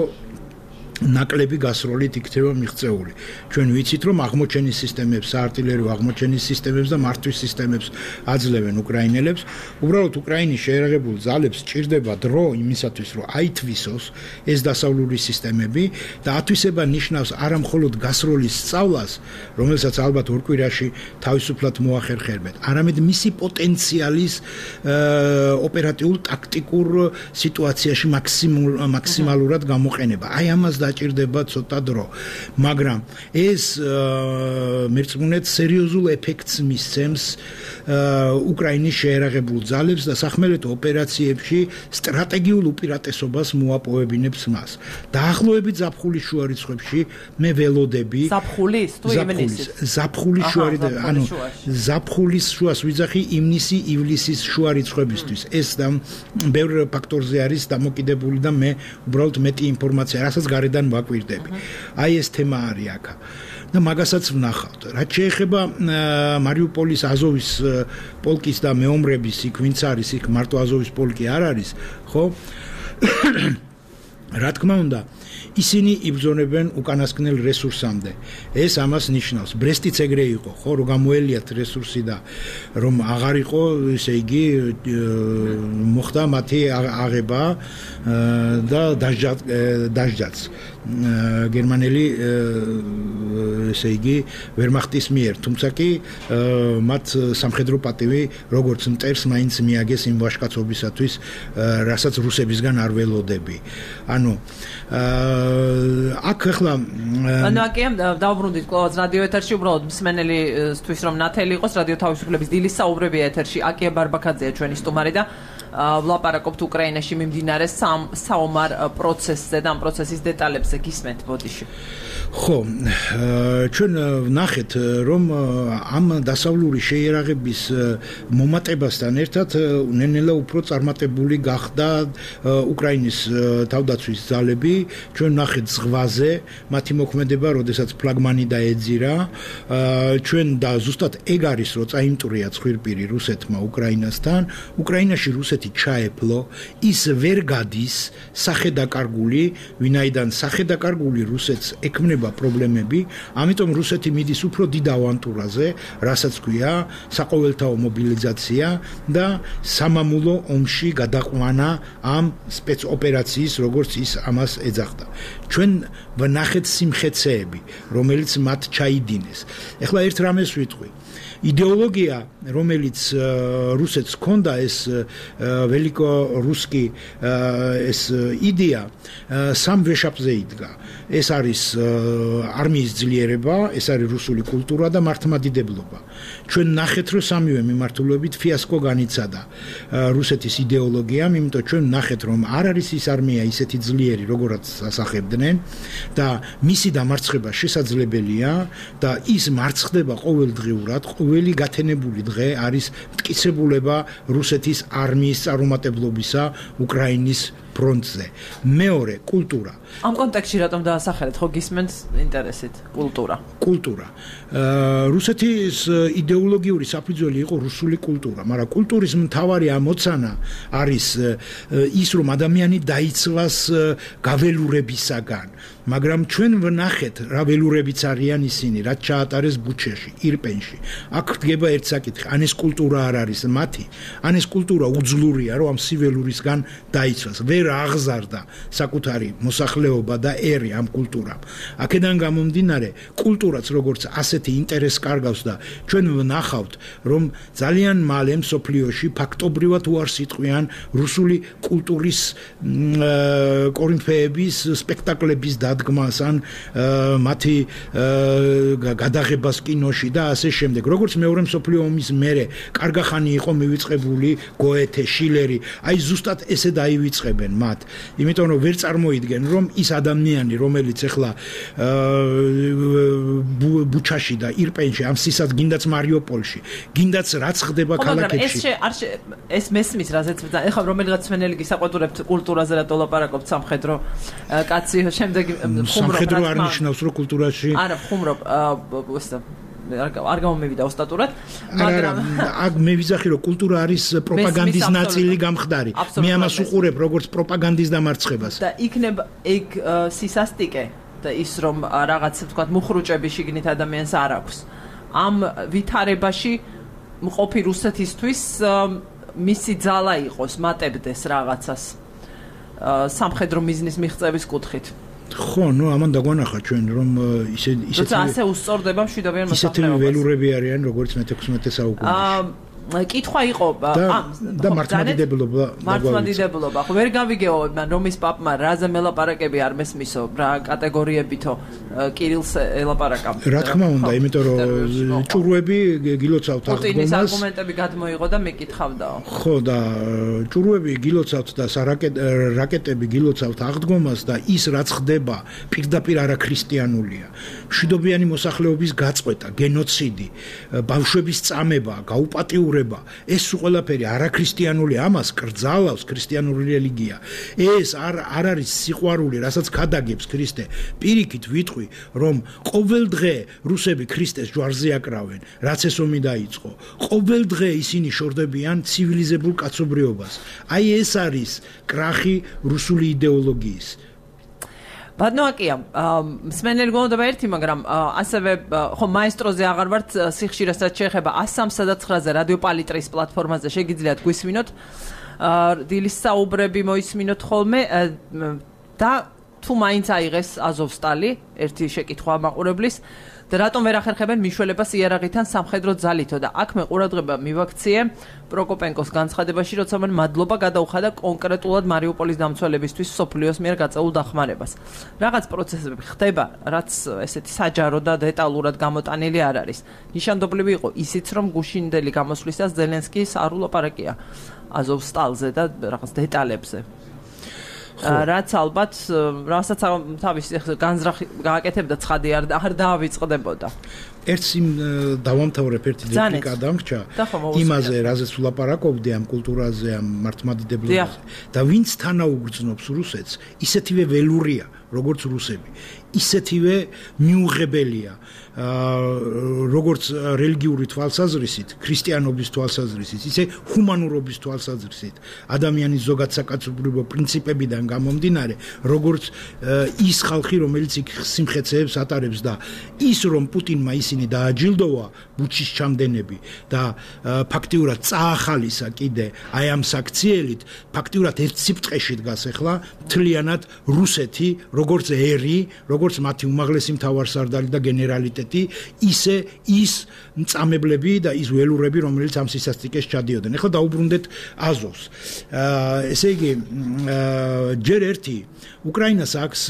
ნაკლები გასროლით იქნება მიღწეული. ჩვენ ვიცით, რომ აღმოჩენის სისტემებს, საარტილერიო აღმოჩენის სისტემებს და მართვის სისტემებს აძლევენ უკრაინელებს. უბრალოდ უკრაინის შეერაღებულ ძალებს ჭირდება დრო იმისათვის, რომ აითვისოს ეს დასავლური სისტემები და ათვისება ნიშნავს არა მხოლოდ გასროლის სწავლას, რომელსაც ალბათ ორ კვირაში თავისუფლად მოახერხებენ, არამედ მისი პოტენციალის ოპერატიულ ტაქტიკურ სიტუაციაში მაქსიმალურად გამოყენება. აი ამას დაჭირდება ცოტა დრო მაგრამ ეს მერწმუნეთ სერიოზულ ეფექტს მისცემს უკრაინის შეერაღებულ ძალებს და სახმელეთო ოპერაციებში სტრატეგიულ უპირატესობას მოაპოვებინებს მას დაახლოებით ზაფხულის შუა რიცხვებში მე ველოდები ზაფხულის თუ ივნისის ზაფხულის შუა ანუ ზაფხულის შუას ვიძახი ივნისი ივლისის შუა რიცხვებისთვის ეს და ბევრ ფაქტორზე არის დამოკიდებული და მე უბრალოდ მეტი ინფორმაცია რასაც გარედან ვაკვირდები აი ეს თემა არის აქ და მაგასაც ვნახავთ რაც შეეხება მარიუპოლის აზოვის პოლკის და მეომრების იქ ვინც არის იქ მარტო აზოვის პოლკი არ არის ხო რა თქმა უნდა ისინი იბრძონებენ უკანასკნელ რესურსამდე ეს ამას ნიშნავს ბრესტიც ეგრე იყო ხო რომ გამოელიათ რესურსი და რომ აღარ იყო ესე იგი მოხდა მათი აღება და დაჟჯაც გერმანელი ესე იგი ვერმახტის მიერ თუმცა კი მათ სამხედრო პატივი როგორც მტერს მაინც მიაგეს იმ ვაჟკაცობისათვის რასაც რუსებისგან არ ველოდები ანუ აქ ახლა ანუ აქ დავბრუნდით კლავაც რადიო ეთერში უბრალოდ მსმენელისთვის რომ ნათელი იყოს რადიო თავისუფლების დილის საუბრები ეთერში აკია ბარბაქაძეა ჩვენი სტუმარი და ვლაპარაკობთ უკრაინაში მიმდინარე საომარ პროცესზე და ამ პროცესის დეტალებზე გისმენთ ბოდიში ხო ჩვენ ვნახეთ რომ ამ დასავლური შეიარაღების მომატებასთან ერთად ნელ-ნელა უფრო წარმატებული გახდა უკრაინის თავდაცვის ძალები ჩვენ ვნახეთ ზღვაზე მათი მოქმედება როდესაც ფლაგმანი დაეძირა ჩვენ და ზუსტად ეგ არის რომ წაიმტვრია ცხვირპირი რუსეთმა უკრაინასთან უკრაინაში რუსეთი ჩაეფლო ის ვერ გადის სახედაკარგული ვინაიდან სახედაკარგული რუსეთს ექმნება პრობლემები ამიტომ რუსეთი მიდის უფრო დიდ ავანტურაზე რასაც ქვია საყოველთაო მობილიზაცია და სამამულო ომში გადაყვანა ამ სპეცოპერაციის როგორც ის ამას ეძახდა ჩვენ ვნახეთ სიმხეცეები რომელიც მათ ჩაიდინეს ეხლა ერთ რამეს ვიტყვი იდეოლოგია რომელიც რუსეთს ჰქონდა ეს ველიკო რუსკი ეს იდეა სამ ვეშაპზე იდგა ეს არის არმიის ძლიერება ეს არის რუსული კულტურა და მართლმადიდებლობა ჩვენ ნახეთ რომ სამივე მიმართულებით ფიასკო განიცადა რუსეთის იდეოლოგიამ იმიტომ ჩვენ ნახეთ რომ არ არის ის არმია ისეთი ძლიერი როგორაც ასახებდნენ და მისი დამარცხება შესაძლებელია და ის მარცხდება ყოველდღიურად ყოველი გათენებული დღე არის მტკიცებულება რუსეთის არმიის წარუმატებლობისა უკრაინის ფრონტზე მეორე კულტურა ამ კონტექსტში რატომ დაასახელეთ ხო გისმენთ ინტერესით კულტურა კულტურა რუსეთის იდეოლოგიური საფუძველი იყო რუსული კულტურა მაგრამ კულტურის მთავარი ამოცანა არის ის რომ ადამიანი დაიცვას გაველურებისაგან მაგრამ ჩვენ ვნახეთ რა ველურებიც არიან ისინი რაც ჩაატარეს ბუჩეში ირპენში აქ დგება ერთ საკითხი ან ეს კულტურა არ არის მათი ან ეს კულტურა უძლურია რომ ამ სიველურისგან დაიცვას ვერ აღზარდა საკუთარი მოსახლეობა და ერი ამ კულტურამ აქედან გამომდინარე კულტურაც როგორც ასეთი ინტერესს კარგავს და ჩვენ ვნახავთ რომ ძალიან მალე მსოფლიოში ფაქტობრივად უარს იტყვიან რუსული კულტურის კორინფეების სპექტაკლების დადგმას ან მათი გადაღებას კინოში და ასე შემდეგ როგორც მეორე მსოფლიო ომის მერე კარგახანი იყო მივიწყებული გოეთე შილერი აი ზუსტად ესე დაივიწყებენ მათ იმიტომ რომ ვერ წარმოიდგენ რომ ის ადამიანი რომელიც ახლა ბუჩაში და ირპენში ამ სისად გინდაც მარიუპოლში გინდაც რაც ხდება ქალაქებში ეს ეს მესმის რაზეც ეხლა რომელიღაც მენელი გისაყვედურებთ კულტურაზე რა დოლაპარაკობთ სამხედრო კაცი შემდეგ სამხედრო არ ნიშნავს რომ კულტურაში არა ხუმრობ არ გამომივიდა ოსტატურად მაგრამ აქ მე ვიზახი რომ კულტურა არის პროპაგანდის ნაწილი გამხდარი მე ამას უყურებ როგორც პროპაგანდის დამარცხებას და იქნება ეგ სისასტიკე და ის რომ რაღაც თქვა მუხრუჭები შიგნით ადამიანს არ აქვს ამ ვითარებაში მყოფი რუსეთისთვის მისი ძალა იყოს მატებდეს რაღაცას სამხედრო მიზნის მიღწევის კუთხით ხო, ნუ ამან დაგვანახა ჩვენ რომ ისე ისე ასე უსწორდება მშვიდობიან მოსახლეობას. ისეთი ველურები არიან როგორც მეთექვსმეტე საუკუნეში. კითხვა იყო და მართლმადიდებლობა მართლმადიდებლობა ხო ვერ გავიგეო მან რომის პაპმა რაზე მელაპარაკები არ მესმისო რა კატეგორიებითო კირილს ელაპარაკა რა თქმა უნდა იმიტომ რომ ჭურვები გილოცავთ აღდგომას პუტინის არგუმენტები გადმოიღო და მეკითხავდაო ხო და ჭურვები გილოცავთ და რაკეტები გილოცავთ აღდგომას და ის რაც ხდება პირდაპირ არაქრისტიანულია მშვიდობიანი მოსახლეობის გაწყვეტა გენოციდი ბავშვების წამება გაუპატიურება ეს ყველაფერი არაქრისტიანული ამას კრძალავს ქრისტიანული რელიგია ეს არ არ არის სიყვარული რასაც ქადაგებს ქრისტე პირიქით ვიტყვი რომ ყოველ დღე რუსები ქრისტეს ჯვარზე აკრავენ რაც ეს ომი დაიწყო ყოველ დღე ისინი შორდებიან ცივილიზებულ კაცობრიობას აი ეს არის კრახი რუსული იდეოლოგიის ბადნოაკია მსმენელი გონდება ერთი მაგრამ ასევე ხო მაესტროზე აღარ ვართ სიხშირესაც შეეხება one thirty-nine ზე რადიო პალიტრის პლატფორმაზე შეგიძლიათ გვისმინოთ დილის საუბრები მოისმინოთ ხოლმე და თუ მაინც აიღეს აზოვსტალი ერთი შეკითხვა მაყურებლის და რატომ ვერ ახერხებენ მიშველებას იარაღითან სამხედრო ძალითო და აქ მე ყურადღება მივაქციე პროკოპენკოს განცხადებაში როცა მან მადლობა გადაუხადა კონკრეტულად მარიუპოლის დამცველებისთვის სოფლიოს მიერ გაწეულ დახმარებას რაღაც პროცესები ხდება რაც ესეთი საჯარო და დეტალურად გამოტანილი არ არის ნიშანდობლივი იყო ისიც რომ გუშინდელი გამოსვლისას ზელენსკის არ ულაპარაკია აზოვსტალზე და რაღაც დეტალებზე რაც ალბათ რასაც თავის განზრახი გააკეთებდა ცხადი არ არ დაავიწყდებოდა ერთს იმ დავამთავრებ ერთი რეპლიკა დამრჩა იმაზე რაზეც ვლაპარაკობდი ამ კულტურაზე ამ მართლმადიდებლობაზე და ვინც თანაუგრძნობს რუსეთს ისეთივე ველურია როგორც რუსები ისეთივე მიუღებელია როგორც რელიგიური თვალსაზრისით ქრისტიანობის თვალსაზრისით ისე ჰუმანურობის თვალსაზრისით ადამიანის ზოგად საკაცობრიობო პრინციპებიდან გამომდინარე როგორც ის ხალხი რომელიც იქ სიმხეცეებს ატარებს და ის რომ პუტინმა ისინი დააჯილდოვა ბუჩის ჩამდენები და ფაქტიურად წაახალისა კიდე აი ამ საქციელით ფაქტიურად ერთ სიბრტყეში დგას ახლა მთლიანად რუსეთი როგორც ერი როგორც მათი უმაღლესი მთავარსარდალი და გენერალიტეტი ისე ის მწამებლები და ის ველურები რომელიც ამ სისასტიკეს ჩადიოდნენ ახლა დაუბრუნდეთ აზოვს ესე იგი ჯერ ერთი უკრაინას აქვს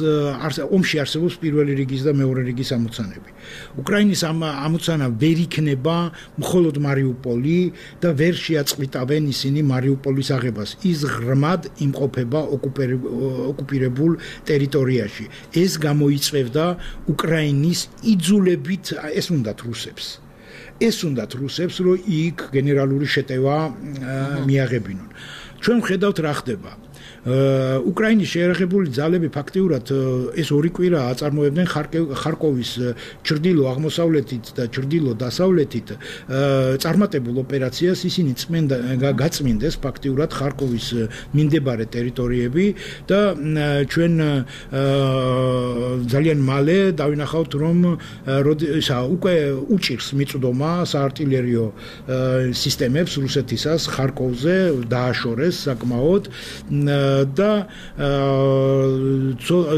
ომში არსებობს პირველი რიგის და მეორე რიგის ამოცანები უკრაინის ამ ამოცანა ვერ იქნება მხოლოდ მარიუპოლი და ვერ შეაწყვიტავენ ისინი მარიუპოლის აღებას ის ღრმად იმყოფება ოკუპირებულ ტერიტორიაში ეს გამოიწვევდა უკრაინის იძულებით ეს უნდათ რუსებს ეს უნდათ რუსებს რომ იქ გენერალური შეტევა მიაღებინონ ჩვენ ხედავთ რა ხდება უკრაინის შეერაღებული ძალები ფაქტიურად ეს ორი კვირა აწარმოებდნენ ხარკოვის ჩრდილო აღმოსავლეთით და ჩრდილო დასავლეთით წარმატებულ ოპერაციას ისინი წმენდა გაწმინდეს ფაქტიურად ხარკოვის მიმდებარე ტერიტორიები და ჩვენ ძალიან მალე დავინახავთ რომ ისა უკვე უჭირს მიწვდომა საარტილერიო სისტემებს რუსეთისას ხარკოვზე დააშორეს საკმაოდ და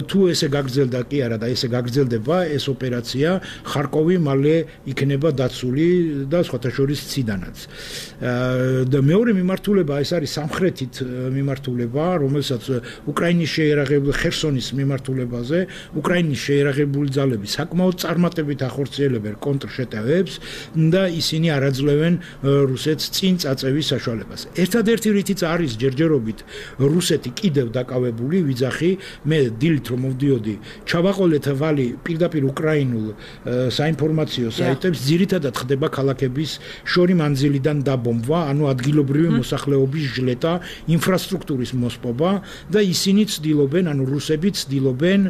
თუ ესე გაგრძელდა კი არა და ესე გაგრძელდება ეს ოპერაცია ხარკოვი მალე იქნება დაცული და სხვათა შორის ციდანაც და მეორე მიმართულება ეს არის სამხრეთით მიმართულება რომელსაც უკრაინის შეერაღებული ხერსონის მიმართულებაზე უკრაინის შეერაღებული ძალები საკმაოდ წარმატებით ახორციელებენ კონტრშეტევებს და ისინი არაძლევენ რუსეთს წინ წაწევის საშუალებას ერთადერთი რითიც არის ჯერჯერობით რუსეთი კიდევ დაკავებული ვიძახი მე დილით რომ მოვდიოდი ჩავაყოლეთ ვალი პირდაპირ უკრაინულ საინფორმაციო საიტებს ძირითადად ხდება ქალაქების შორი მანძილიდან დაბომბვა ანუ ადგილობრივი მოსახლეობის ჟლეტა ინფრასტრუქტურის მოსპობა და ისინი ცდილობენ ანუ რუსები ცდილობენ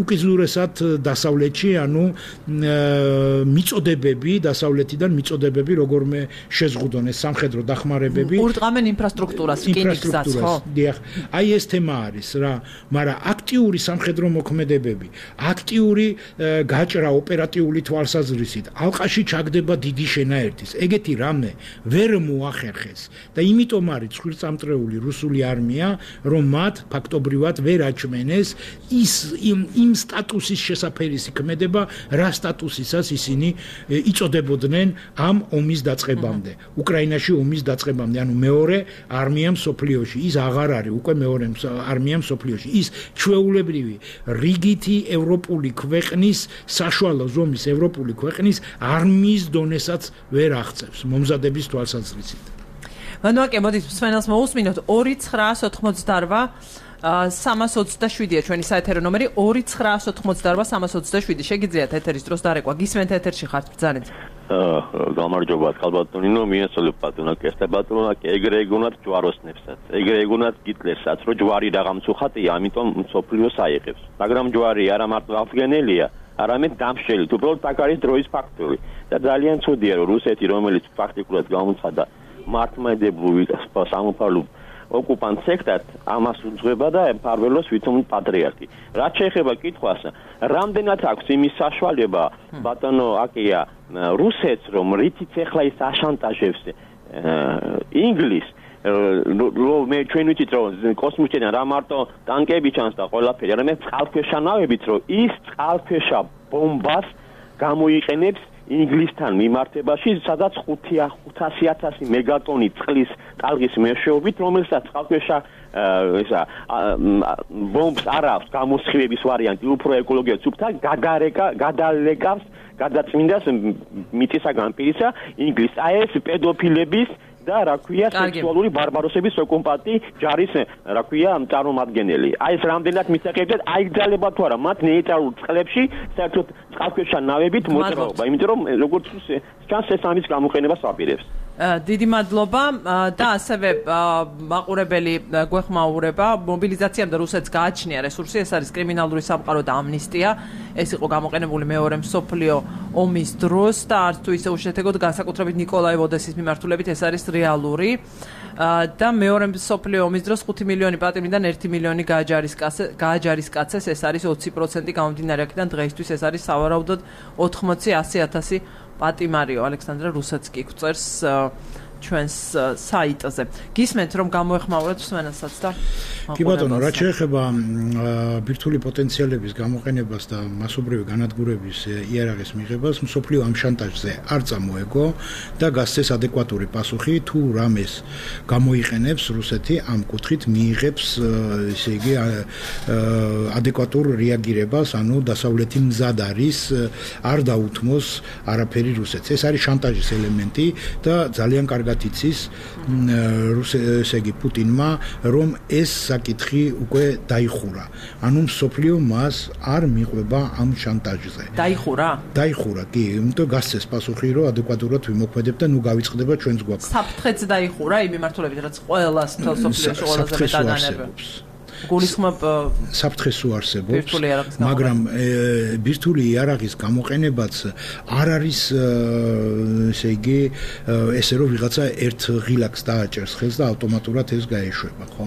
უკიდურესად დასავლეთში ანუ მიწოდებები დასავლეთიდან მიწოდებები როგორმე შეზღუდონ ეს სამხედრო დახმარებები ურტყამენ ინფრასტრუქტურას რკინიგზას დიახ, აი ეს თემა არის რა, მაგრამ აქტიური სამხედრო მოქმედებები, აქტიური გაჭრა ოპერატიული თვალსაზრისით, ალყაში ჩაგდება დიდი შენაერთის. ეგეთი რამე ვერ მოახერხეს და იმიტომ არის ცხვირწამტრეული რუსული არმია, რომ მათ ფაქტობრივად ვერ აჩმენეს ის იმ სტატუსის შესაფერისი ქმედება, რა სტატუსისას ისინი იწოდებოდნენ ამ ომის დაწყებამდე. უკრაინაში ომის დაწყებამდე, ანუ მეორე არმია მსოფლიოში, ის აღარ არის უკვე მეორე არმია მსოფლიოში. ის ჩვეულებრივი რიგითი ევროპული ქვეყნის, საშუალო ზომის ევროპული ქვეყნის არმიის დონესაც ვერ აღწევს მომზადების თვალსაზრისით. მანუაკე, მოდით მსმენელს მოусმინოთ ორი ცხრაას ოთხმოცდაორვა სამას ოცდაშვიდია ჩვენი საეთერო ნომერი ორი ცხრაას ოთხმოცდაორვა სამას ოცდაშვიდი. შეგიძლიათ ეთერის დროს დარეკვა. გისმენთ ეთერში ხართ ბრძანეთ. გამარჯობა ხალბატონინო, მიესალმებ ბატონაკ, ესტა ბატონაკ, ეგრე ეგონათ ჯვაროსნებსაც. ეგრე ეგონათ გიტლერსაც, რომ ჯვარი რაღაც უხატია, ამიტომ მსოფლიოს აიღებს. მაგრამ ჯვარი არა მარტო აღდგენელია, არამედ დამშელი, უბრალოდ აქ არის დროის ფაქტორი. და ძალიან ცუდია, რომ რუსეთი, რომელიც ფაქტიკურად გამოცხადა მართლმადიდებლური სამოქალაქო ოკუპანტ სექტად, ამას უძღვება და ემფარველოს ვითომ პატრიარქი. რაც შეეხება კითხვას, რამდენად აქვს იმის საშუალება ბატონო აკია რუსეთს, რომ რითიც ეხლა ის აშანტაჟებს ინგლისს, მე ჩვენ ვიცით რომ კოსმოსიდან რა მარტო ტანკები ჩანს და ყველაფერი, არამედ წყალქვეშა ნავებით, რომ ის წყალქვეშა ბომბას გამოიყენებს ინგლისთან მიმართებაში, სადაც ხუთასი ათასი მეგატონი წყლის ტალღის მეშვეობით, რომელსაც წყალქვეშა ესა ბომბს არ აქვს გამოსხივების ვარიანტი, უფრო ეკოლოგიურად სუფთა გადარეკა, გადალეკავს, გადაწმინდას მიწისაგან პირისა ინგლისს. აი ეს პედოფილების და რა ქვია სექსუალური ბარბაროსების ოკუპანტი ჯარის რა ქვია წარმომადგენელი. აი ეს რამდენად მისაღებდეთ, აიგზავნება თუ არა მათ ნეიტრალურ წყლებში საერთოდ წყალქვეშა ნავებით მოძრაობა, იმიტომ რომ როგორც ჩანს ეს ამის გამოყენებას აპირებს. დიდი მადლობა და ასევე მაყურებელი გვეხმაურება მობილიზაციამდე რუსეთს გააჩნია რესურსი, ეს არის კრიმინალური სამყარო და ამნისტია. ეს იყო გამოყენებული მეორე მსოფლიო ომის დროს და არც თუ ისე უშედეგოდ განსაკუთრებით ნიკოლაევ ოდესის მიმართულებით ეს არის რეალური. და მეორე მსოფლიო ომის დროს ხუთი მილიონი პატრიარქიდან ერთი მილიონი გააჯარისკაცეს, ეს არის ოცი პროცენტი გამომდინარე აქედან დღეისთვის ეს არის სავარაუდოდ ოთხმოცი ასი ათასი პატიმარიო. ალექსანდრე რუსეთს კი გვწერს ჩვენს საიტზე. გისმენთ რომ გამოეხმაუროთ მსმენელსაც და კი ბატონო, რაც შეეხება ბირთვული პოტენციალების გამოყენებას და მასობრივი განადგურების იარაღის მიღებას, მსოფლიო ამ შანტაჟზე არ წამოეგო და გასცეს ადეკვატური პასუხი, თუ რამეს გამოიყენებს რუსეთი ამ კუთხით მიიღებს, ესე იგი ადეკვატურ რეაგირებას, ანუ დასავლეთი მზად არის არ დაუთმოს არაფერი რუსეთს. ეს არის შანტაჟის ელემენტი და ძალიან კარგად იცის ესე იგი პუტინმა, რომ ეს საკითხი უკვე დაიხურა. ანუ მსოფლიო მას არ მიყვება ამ შანტაჟზე. დაიხურა? დაიხურა, კი, იმიტომ გასცეს პასუხი, რომ ადეკვატურად ვიმოქმედებ და ნუ გავიწყდება ჩვენს გვაქვს. საფრთხეც დაიხურა იმ მიმართულებით, რაც ყველას თელ სოფლიოში ყველაზე მეტად ანერბებს. გულისხმობ საფრთხეს უარსებობს, მაგრამ ბირთვული იარაღის გამოყენებაც არ არის ესე იგი ესე რომ ვიღაცა ერთ ღილაკს დააჭერს ხელს და ავტომატურად ეს გაეშვება, ხო?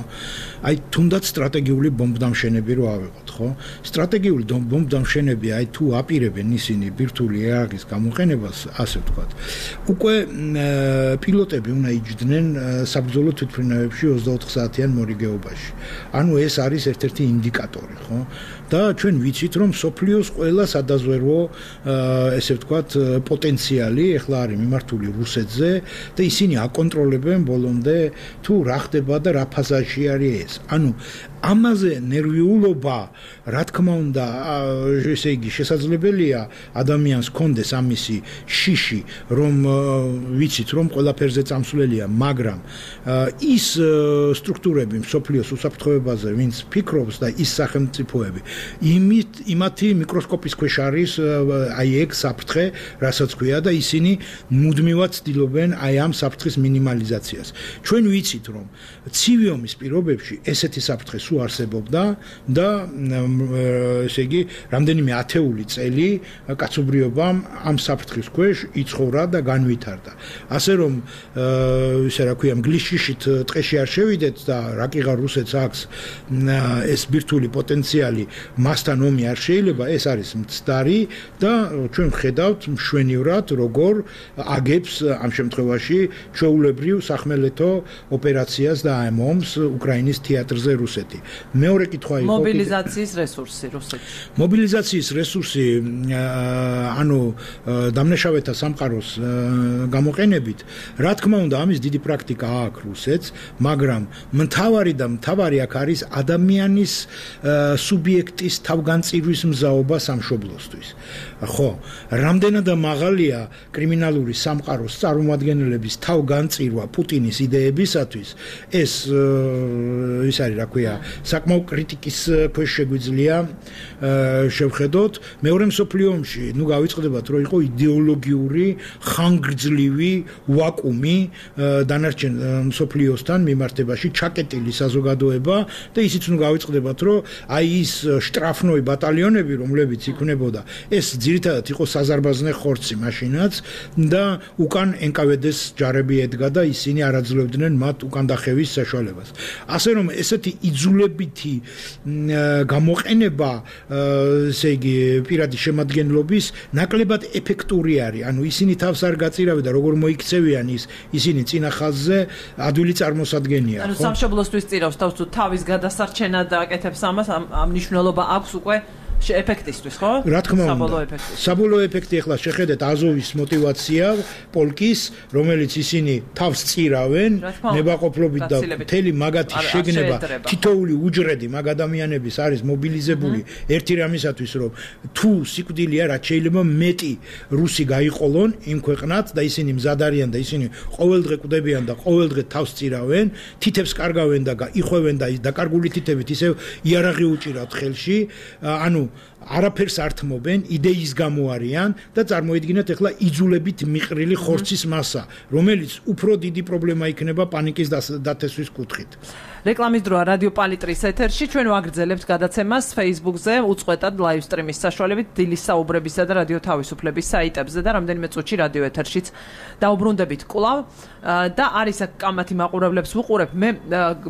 აი თუნდაც სტრატეგიული ბომბდამშენები რო ავიღოთ, ხო? სტრატეგიული ბომბდამშენები აი თუ აპირებენ ისინი ბირთვული იარაღის გამოყენებას, ასე ვთქვათ, უკვე პილოტები უნდა იჯდნენ საბრძოლო თვითმფრინავებში ოცდაოთხ საათიან მორიგეობაში. ანუ ეს არის ერთ-ერთი ინდიკატორი, ხო? და ჩვენ ვიცით, რომ სოფლიოს ყველა სადაზვერვო ესე ვთქვათ პოტენციალი ეხლა არის მიმართული რუსეთზე და ისინი აკონტროლებენ ბოლომდე თუ რა ხდება და რა ფაზაში არის ეს. ანუ ამაზე ნერვიულობა, რა თქმა უნდა, ესე იგი შესაძლებელია ადამიანს კონდეს ამისი შიში, რომ ვიცით, რომ ყველაფერზე წამსვლელია, მაგრამ ის სტრუქტურები მსოფლიოს უსაფრთხოებაზე, ვინც ფიქრობს და ის სახელმწიფოები, იმით იმათი მიკროსკოპის ქვეშ არის აი ეგ საფრთხე, რასაც ქვია და ისინი მუდმივად ცდილობენ აი ამ საფრთხის მინიმალიზაციას. ჩვენ ვიცით, რომ ცივი ომის პირობებში ესეთი საფრთხე სულ არსებობდა და ესე იგი რამდენიმე ათეული წელი კაცობრიობამ ამ საფრთხის ქვეშ იცხოვრა და განვითარდა. ასე რომ ისე რა ქვია მგლიშიშით ტყეში არ შევიდეთ და რაკიღარ რუსეთს აქვს ეს ბირთვული პოტენციალი მასთან ომი არ შეიძლება, ეს არის მცდარი და ჩვენ ვხედავთ მშვენივრად როგორ აგებს ამ შემთხვევაში ჩვეულებრივ სახმელეთო ოპერაციას და ამ ომს უკრაინის თეატრზე რუსეთი. მეორე კითხვა იყო მობილიზაციის რესურსი რუსეთში. მობილიზაციის რესურსი ანუ დამნაშავეთა სამყაროს გამოყენებით, რა თქმა უნდა, ამის დიდი პრაქტიკა აქვს რუსეთს, მაგრამ მთავარი და მთავარი აქ არის ადამიანის სუბიექტის თავგანწირვის მზაობა სამშობლოსთვის. ხო, რამდენად მაღალია კრიმინალური სამყაროს წარმომადგენლების თავგანწირვა პუტინის იდეებისათვის, ეს ის არის, რა ქვია, საკმაო კრიტიკის ქვეშ შეგვიძლია შევხედოთ. მეორე მსოფლიო ომში, ნუ გავიწყდებათ, რომ იყო იდეოლოგიური ხანგრძლივი ვაკუუმი დანარჩენ მსოფლიოსთან მიმართებაში, ჩაკეტილი საზოგადოება და ისიც ნუ გავიწყდებათ, რომ აი ის შტრაფნოი ბატალიონები, რომლებიც იქნებოდა, ეს ძირითადად იყო საზარბაზნე ხორცი მაშინაც და უკან ენ კა ვე დე-ს ჯარები ედგა და ისინი არ აძლევდნენ მათ უკან დახევის საშუალებას. ასე რომ ესეთი იძულებითი გამოყენება, ესე იგი პირადი შემადგენლობის ნაკლებად ეფექტური არის. ანუ ისინი თავს არ გაწირავენ და როგორ მოიქცევიან ის ისინი წინა ხაზზე ადვილი წარმოსადგენია. ანუ სამშობლოსთვის წირავს თავს თუ თავის გადასარჩენად აკეთებს ამას, ამ მნიშვნელობა აქვს უკვე ეფექტისთვის, ხო? რა თქმა უნდა. საბოლოო ეფექტი ახლა შეხედეთ აზოვის мотиваცია პოლკის, რომელიც ისინი თავს წირავენ, ნებაყოფლობით და მთელი მაგათი შეგნება თითოეული უჯრედი მაგ ადამიანების არის მობილიზებული ერთი რამისათვის, რომ თუ სიკვდილია რაც შეიძლება მეტი რუსი გაიყოლონ იმ ქვეყნად და ისინი მზად არიან და ისინი ყოველდღე კვდებიან და ყოველდღე თავს წირავენ, თითებს კარგავენ და იხვევენ და ის დაკარგული თითებით ისევ იარაღი უჭირავთ ხელში, ანუ არაფერს ართმობენ, იდეის გამო არიან და წარმოიდგინეთ ახლა იძულებით მიყრილი ხორცის მასა, რომელიც უფრო დიდი პრობლემა იქნება პანიკის დათესვის კუთხით. რეკლამის დროა რადიო პალიტრის ეთერში, ჩვენ ვაგრძელებთ გადაცემას Facebook-ზე, უწყვეტად live stream-ის საშუალებით დილის საუბრებისა და რადიო თავისუფლების საიტებზე და რამდენიმე წუთში რადიო ეთერშიც დაუბრუნდებით კვლავ და არის აქ კამათი მაყურებლებს ვუყურებ. მე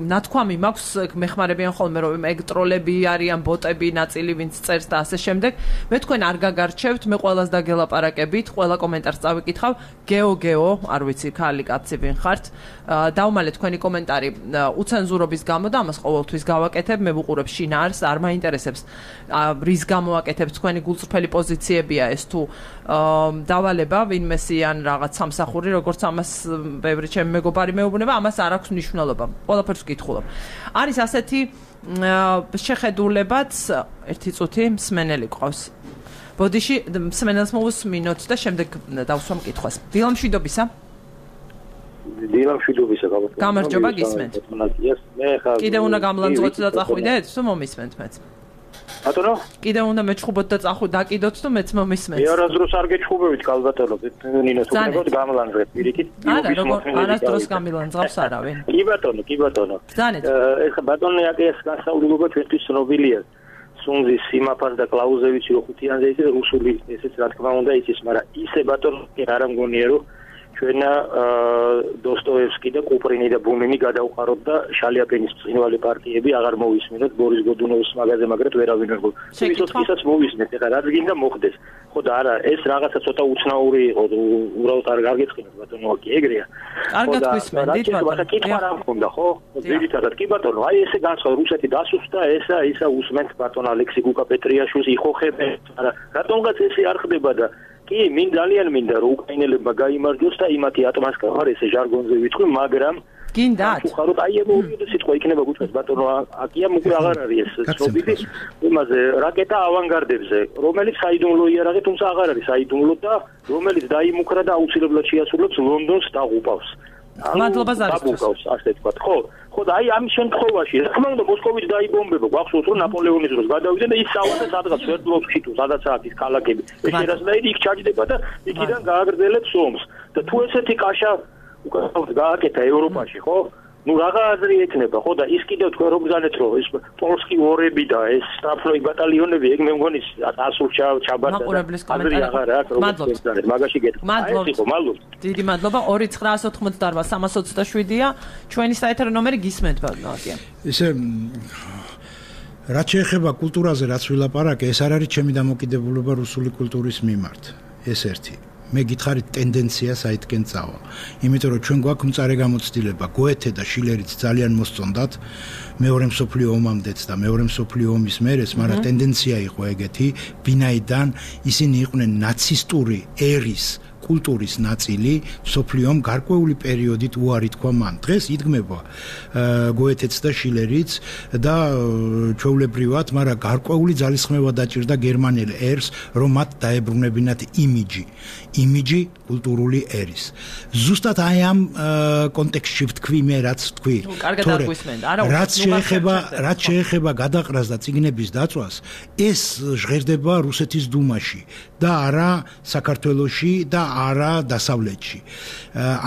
ნათქვამი მაქვს, მეხმარებიან ხოლმე რომ ეგ ტროლები არიან, ბოტები, ნაწილი ვინც წერს და ასე შემდეგ. მე თქვენ არ გაგარჩევთ, მე ყველას დაგელაპარაკებით, ყველა კომენტარს წავიკითხავ. გეო გეო, არ ვიცი, ქალი კაცი ვინ ხართ. დავმალე თქვენი კომენტარი უცენზურობის გამო და ამას ყოველთვის გავაკეთებ, მე ვუყურებ შინაარს, არ მაინტერესებს რის გამო აკეთებ თქვენი გულწრფელი პოზიციებია ეს თუ დავალება ვინმესი ან რაღაც სამსახური, როგორც ამას ბევრი ჩემი მეგობარი მეუბნება, ამას არ აქვს მნიშვნელობა. ყველაფერს ვკითხულობ. არის ასეთი შეხედულებაც, ერთი წუთი მსმენელი ყავს. ბოდიში მსმენელს მოვუსმინოთ და შემდეგ დავსვამ კითხვას. დილამშვიდობისა. დილამშვიდობისა გამარჯობა. გამარჯობა, გისმენთ. მე ხარ. კიდე უნდა გამლანძღოთ და წახვიდეთ, თუ მომისმენთ მეც. ბატონო? კიდე უნდა მეჩხუბოთ და წახვი დაკიდოთ, თუ მეც მომისმენთ. მე არასდროს არ გეჩხუბებით, კალბატონო, ნინოს უბრალოდ გამლანძღეთ პირიქით. არა, როგორ არასდროს გამილანძღავს არავინ. კი ბატონო, კი ბატონო. ზანეთ. ეხლა ბატონო აკეს გასაუბრება ჩვენთვის ცნობილია. სუნზის სიმაფას და კლაუზევიჩი რო ხუთიანზე ისე რუსული ესეც რა თქმა უნდა იცის, მაგრამ ისე ბატონო არ ამგონია რომ ჩვენ დოსტოევსკი და კუპრინი და ბუნინი გადავყაროთ და შალიაპინის ბრწყინვალე პარტიები აღარ მოვისმინოთ ბორის გოდუნოვის მაგაზე, მაგრამ ვერავინ არ გო. ისოთქისაც მოვისმენთ, ეხლა რაც გინდა მოხდეს. ხო და არა, ეს რაღაცა ცოტა უცნაური იყო, უბრალოდ არ გაგეწყინოთ ბატონო, კი ეგრეა. კარგად გვისმენთ, ბატონო. კითხვა რა მქონდა, ხო? ძირითადად კი ბატონო, აი ესე განსხვავ რუსეთი დასუსტა, ესა ისა უსმენთ ბატონო ალექსი გუკა-პეტრიაშვილს იხოხებენ, არა, რატომღაც ესე არ ხდება და კი, მინ ძალიან მინდა რომ უკრაინელებმა გაიმარჯვოს და იმათი ატმასკა ხარ ესე ჟარგონზე ვიტყვი, მაგრამ გინდათ? უხაროთ აი ემოციები სიტყვა იქნება გუჩვენს ბატონო, აკია უკვე აღარ არის ეს ცნობილი იმაზე რაკეტა ავანგარდებზე, რომელიც საიდუმლო იარაღი, თუმცა აღარ არის საიდუმლო და რომელიც დაიმუქრა და აუცილებლად შეასრულებს ლონდონს დაღუპავს. მადლობა ზარისთვის. ასე თქვა, ხო? ხო და აი ამის შემთხვევაში, რა თქმა უნდა მოსკოვიც დაიბომბება, გვახსოვს რომ ნაპოლეონის დროს გადავიდნენ და ის სავალზე სადღაც სვერდლოვსკი თუ სადაც არის ქალაქები. ეს ერასნაირი იქ ჩაჯდება და იქიდან გააგრძელებს ომს. და თუ ესეთი კაშა უკავად გააკეთა ევროპაში, ხო? ნუ რაღა აზრი ექნება ხო და ის კიდევ თქვენ რომ გზანეთ რომ ეს პოლსკი ორები და ეს სტაფლოი ბატალიონები ეგ მე მგონი ასულ ჩაბარდა აზრი აღარ აქვს როგორც გზანეთ მაგაში გეტყვი მადლობა მადლობა დიდი მადლობა ორი ცხრაას ოთხმოცდაოთხ სამას ოცდაშვიდია ჩვენი საეთერო ნომერი გისმენთ ბატონია ესე რაც შეეხება კულტურაზე რაც ვილაპარაკე ეს არ არის ჩემი დამოკიდებულება რუსული კულტურის მიმართ ეს ერთი მე გითხარით ტენდენცია საითკენ წავა. იმიტომ რომ ჩვენ გვაქვს მწარე გამოცდილება, გოეთე და შილერიც ძალიან მოსწონდათ მეორე მსოფლიო ომამდეც და მეორე მსოფლიო ომის მერეც, მაგრამ ტენდენცია იყო ეგეთი, ვინაიდან ისინი იყვნენ ნაცისტური ერის კულტურის ნაწილი სოფლიომ გარკვეული პერიოდით უარი თქვა მან. დღეს იდგმება გოეთეც და შილერიც და ჩვეულებრივად, მაგრამ გარკვეული ძალისხმევა დაჭირდა გერმანელ ერს, რომ მათ დაებრუნებინათ იმიჯი, იმიჯი კულტურული ერის. ზუსტად აი ამ კონტექსტში ვთქვი მე, რაც ვთქვი. რაც შეეხება, რაც შეეხება გადაყრას და წიგნების დაწვას, ეს ჟღერდება რუსეთის დუმაში და არა საქართველოში და არა დასავლეთში.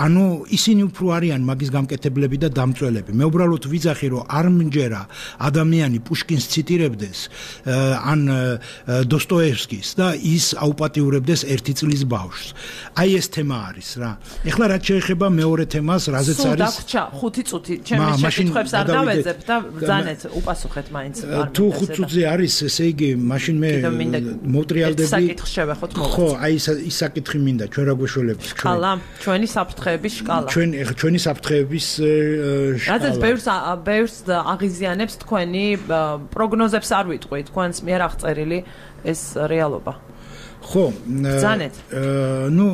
ანუ ისინი უფრო არიან მაგის გამკეთებლები და დამწველები. მე უბრალოდ ვიძახი რომ არ მჯერა ადამიანი პუშკინს ციტირებდეს ან დოსტოევსკის და ის აუპატიურებდეს ერთი წლის ბავშვს. აი ეს თემა არის რა. ეხლა რაც შეეხება მეორე თემას, რაზეც არის სულ დაგვრჩა ხუთი წუთი. ჩემი შეკითხვებს არ დავეძებ და ბრძანეთ უპასუხეთ მაინც. თუ ხუთ წუთზე არის, ესე იგი, მაშინ მე მოვტრიალდები. საკითხს შევეხოთ მოვეცი. ხო, აი ის საკითხი მინდა ჩვენ რა გვეშველებს ჩვენ. შკალა, ჩვენი საფრთხეების შკალა. ჩვენ ჩვენი საფრთხეების შკალა. რადგან ბევრს ბევრს აღიზიანებს თქვენი პროგნოზებს არ ვიტყვი, თქვენს მიერ აღწერილი ეს რეალობა. ხო, ბრძანეთ. ნუ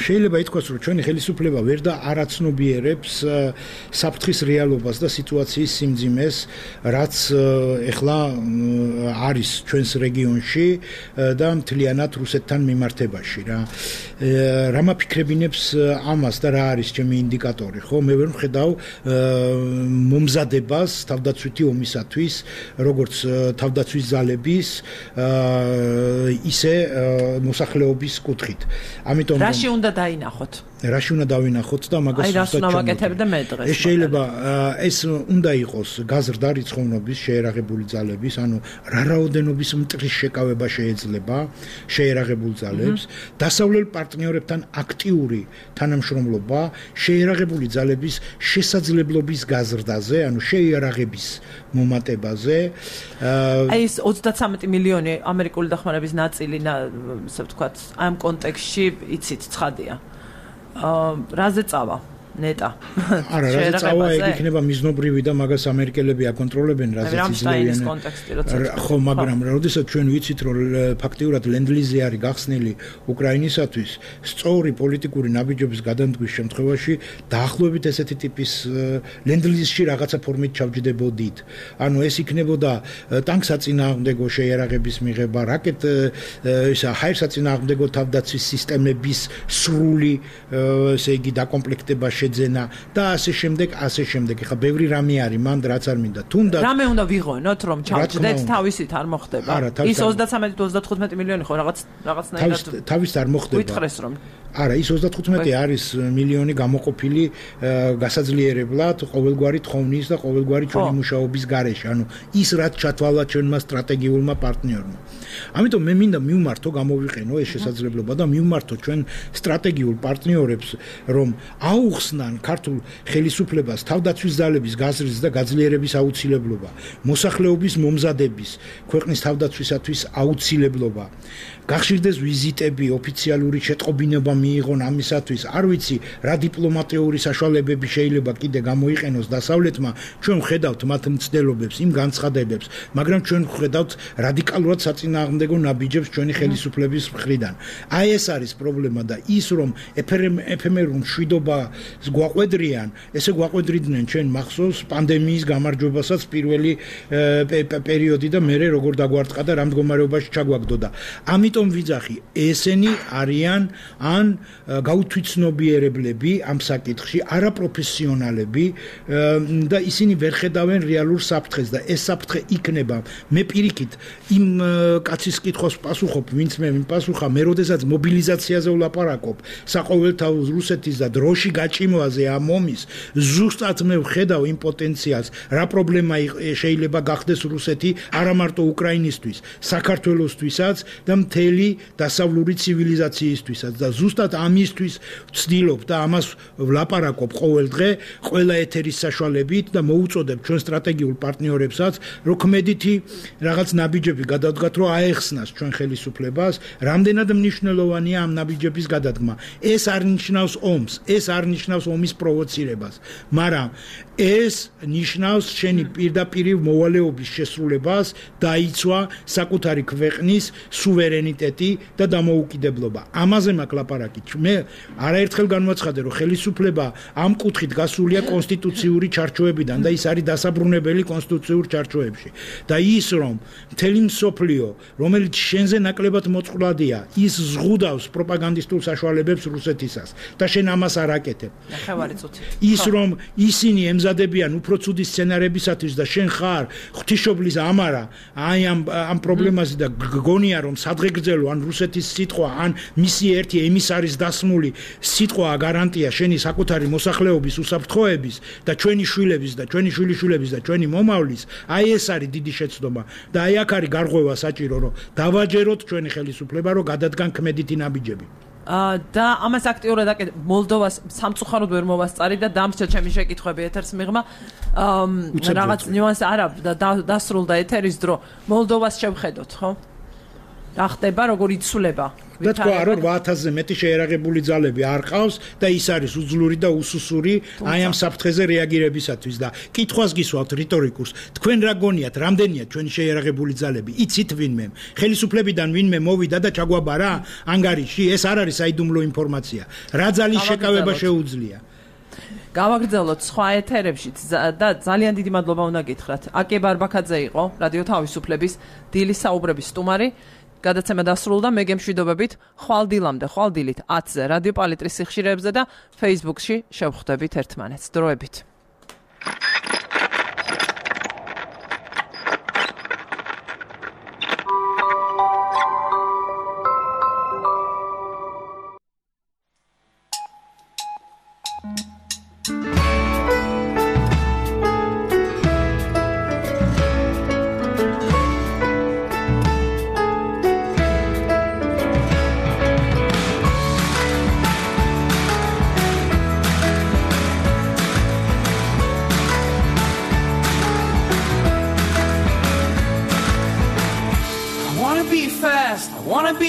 შეიძლება ითქვას, რომ ჩვენი ხელისუფლება ვერ და არაცნობიერებს საფრთხის რეალობას და სიტუაციის სიმძიმეს, რაც ეხლა არის ჩვენს რეგიონში და მთლიანად რუსეთთან მიმართებაში რა. რა მაფიქრებინებს ამას და რა არის ჩემი ინდიკატორი, ხო? მე ვერ ვხედავ მომზადებას თავდაცვითი ომისათვის, როგორც თავდაცვის ძალების, ისე მოსახლეობის კუთხით. ამიტომ რაში უნდა დაინახოთ? რაში უნდა დავინახოთ და მაგას აი რას უნდა ვაკეთებდე მე დღეს? ეს შეიძლება ეს უნდა იყოს გაზრდა რიცხოვნობის შეერაღებული ძალების, ანუ რა რაოდენობის მტრის შეკავება შეიძლება შეერაღებულ ძალებს, დასავლელ პარტნიორებთან აქტიური თანამშრომლობა შეერაღებული ძალების შესაძლებლობის გაზრდაზე, ანუ შეიარაღების მომატებაზე. აი ეს ოცდათრამეტი მილიონი ამერიკული დახმარების ნაწილი, ასე ვთქვათ, ამ კონტექსტში იცით ცხადია. რაზე წავა ნეტა არა რაზე წავა ეგ იქნება მიზნობრივი და მაგას ამერიკელები აკონტროლებენ რაზეც იზრდებიან კონტექსტი როცა ხო მაგრამ როდესაც ჩვენ ვიცით რომ ფაქტიურად ლენდ-ლიზი არის გახსნილი უკრაინისათვის სწორი პოლიტიკური ნაბიჯების გადამდგვის შემთხვევაში დაახლოებით ესეთი ტიპის ლენდ-ლიზში რაღაცა ფორმით ჩავჯდებოდით ანუ ეს იქნებოდა ტანკსაწინააღმდეგო შეიარაღების მიღება რაკეტ ისა ჰაერსაწინააღმდეგო თავდაცვის სისტემების სრული ესე იგი დაკომპლექტება შეძენა და ასე შემდეგ, ასე შემდეგ. ხა ბევრი რამე არის, მანდ რაც არ მინდა. თუნდაც რამე უნდა ვიღონოთ, რომ ჩავჯდეთ თავისით არ მოხდება. ის ოცდათრამეტი ოცდათხუთმეტი მილიონი ხო რაღაც რაღაცნაირად თავის არ მოხდება. გითხრეს რომ არა, ის ოცდათხუთმეტი არის მილიონი გამოყოფილი გასაძლიერებლად ყოველგვარი თხოვნის და ყოველგვარი ჩვენი მუშაობის გარეშე. ანუ ის რაც ჩათვალა ჩვენმა სტრატეგიულმა პარტნიორმა. ამიტომ მე მინდა მივმართო, გამოვიყენო ეს შესაძლებლობა და მივმართო ჩვენ სტრატეგიულ პარტნიორებს, რომ აუხსნან ქართულ ხელისუფლებას თავდაცვის ძალების გაზრდის და გაძლიერების აუცილებლობა, მოსახლეობის მომზადების, ქვეყნის თავდაცვისათვის აუცილებლობა. გახშირდეს ვიზიტები, ოფიციალური შეტყობინება მიიღონ ამისათვის. არ ვიცი, რა დიპლომატიური საშუალებები შეიძლება კიდე გამოიყენოს დასავლეთმა. ჩვენ ვხედავთ მათ მცდელობებს, იმ განცხადებებს, მაგრამ ჩვენ ვხედავთ რადიკალურად საწინააღმდეგო ნაბიჯებს ჩვენი ხელისუფლების მხრიდან. აი ეს არის პრობლემა და ის რომ ეფემერულ მშვიდობას გვაყვედრიან, ესე გვაყვედრიდნენ ჩვენ მახსოვს პანდემიის გამარჯვებასაც პირველი პერიოდი და მერე როგორ დაგვარტყა და რა მდგომარეობაში ჩაგვაგდოდა. ამიტომ ვიძახი, ესენი არიან ან გაუთვითცნობიერებლები ამ საკითხში, არაპროფესიონალები და ისინი ვერ ხედავენ რეალურ საფრთხეს და ეს საფრთხე იქნება. მე პირიქით იმ კაცის კითხვას პასუხობ, ვინც მე მიპასუხა, მე როდესაც მობილიზაციაზე ვლაპარაკობ, საყოველთაო რუსეთის და დროში გაჭი სარწმუნოაზე ამ ომის ზუსტად მე ვხედავ იმ პოტენციალს რა პრობლემა შეიძლება გახდეს რუსეთი არა მარტო უკრაინისთვის საქართველოსთვისაც და მთელი დასავლური ცივილიზაციისთვისაც და ზუსტად ამისთვის ვცდილობ და ამას ვლაპარაკობ ყოველ დღე ყველა ეთერის საშუალებით და მოუწოდებ ჩვენ სტრატეგიულ პარტნიორებსაც რომ ქმედითი რაღაც ნაბიჯები გადავდგათ რომ აეხსნას ჩვენ ხელისუფლებას რამდენად მნიშვნელოვანია ამ ნაბიჯების გადადგმა ეს არ ნიშნავს ომს ეს არ ნიშნავს ომის პროვოცირებას მაგრამ ეს ნიშნავს შენი პირდაპირ მოვალეობის შესრულებას დაიცვა საკუთარი ქვეყნის სუვერენიტეტი და დამოუკიდებლობა ამაზე მაქვს ლაპარაკი მე არაერთხელ განვაცხადე რომ ხელისუფლება ამ კუთხით გასულია კონსტიტუციური ჩარჩოებიდან და ის არის დასაბრუნებელი კონსტიტუციურ ჩარჩოებში და ის რომ მთელი მსოფლიო რომელიც შენზე ნაკლებად მოწყვლადია ის ზღუდავს პროპაგანდისტულ საშუალებებს რუსეთისას და შენ ამას არ აკეთებ ის რომ ისინი ემზადებიან უფრო ცუდი სცენარებისათვის და შენ ხარ ღვთისმშობლის ამარა აი ამ ამ პრობლემაზე და გგონია რომ სადღეგრძელო ან რუსეთის სიტყვა ან მისი ერთი ემისარის დასმული სიტყვა გარანტია შენი საკუთარი მოსახლეობის უსაფრთხოების და ჩვენი შვილების და ჩვენი შვილიშვილების და ჩვენი მომავლის აი ეს არის დიდი შეცდომა და აი აქ არის გარღვევა საჭირო რომ დავაჯეროთ ჩვენი ხელისუფლება რომ გადადგან ქმედითი ნაბიჯები და ამას აქტიურად აკეთებ მოლდოვას სამწუხაროდ ვერ მოვასწარი და დამრჩა ჩემი შეკითხვები ეთერს მიღმა რაღაც ნიუანსი არა დასრულდა ეთერის დრო მოლდოვას შევხედოთ ხო რა ხდება როგორ იცვლება და თქვა რომ რვა ათასზე მეტი შეერაღებული ძალები არ ყავს და ის არის უძლური და უსუსური აი ამ საფრთხეზე რეაგირებისათვის და კითხვას გისვავთ რიტორიკურს თქვენ რა გონიათ რამდენია ჩვენი შეერაღებული ძალები იცით ვინმე ხელისუფლებიდან ვინმე მოვიდა და ჩაგვაბარა ანგარიში ეს არ არის საიდუმლო ინფორმაცია რა ძალის შეკავება შეუძლია გავაგრძელოთ სხვა ეთერებში და ძალიან დიდი მადლობა უნდა გითხრათ აკე ბარბაქაძე იყო რადიო თავისუფლების დილის საუბრების სტუმარი გადაცემა დასრულდა მე გემშვიდობებით ხვალ დილამდე ხვალ დილით ათზე რადიო პალიტრის სიხშირეებზე და Facebook-ში შევხვდებით ერთმანეთს დროებით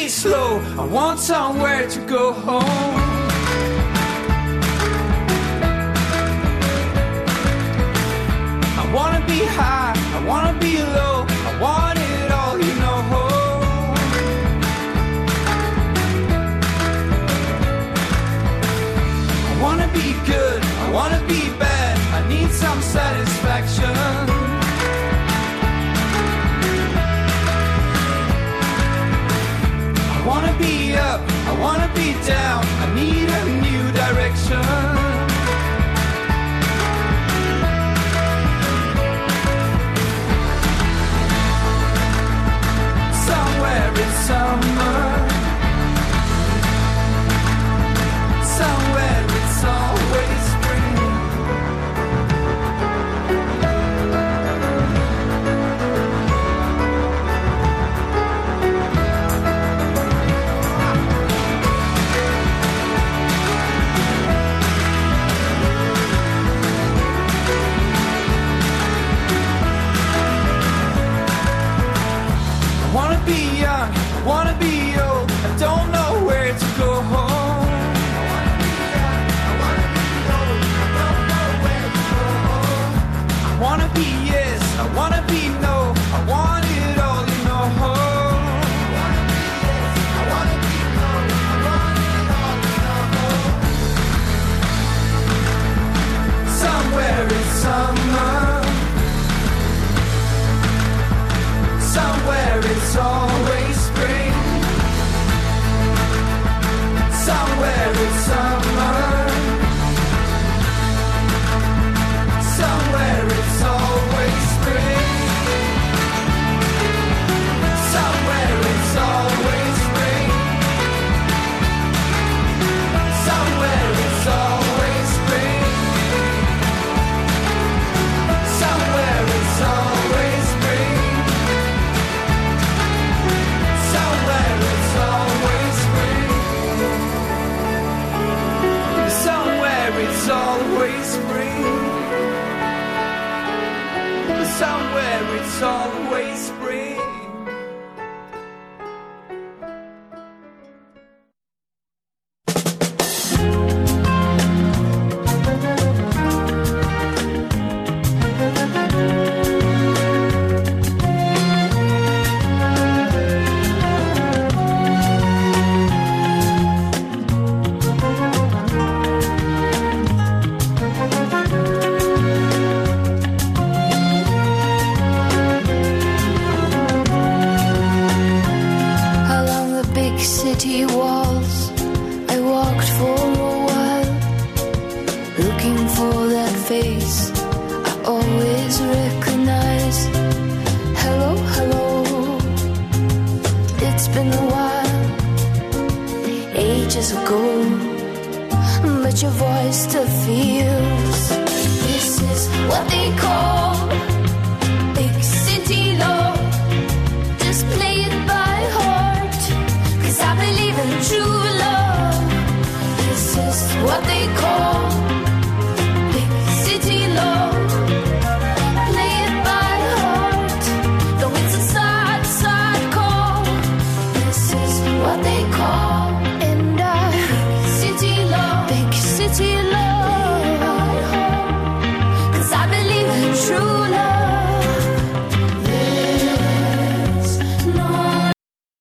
slow I want somewhere to go home I want to be high I want to be low I want it all you know I want to be good I want to be bad I need some satisfaction I wanna be up, I wanna be down, I need a new direction. Somewhere in summer, somewhere it's always spring. I wanna be young, I wanna be old, I don't know where to go home. I wanna be young, I wanna be old, I don't know where to go home. I wanna be yes, I wanna be no, I want it all, you know. I wanna be yes, I wanna be no, I want it all, you know. Somewhere in summer, somewhere it's always spring. city walls. I walked for a while, looking for that face I always recognize. Hello, hello, it's been a while, ages ago, but your voice still feels. This is what they call big city love. Just play it by heart, 'cause I believe in truth.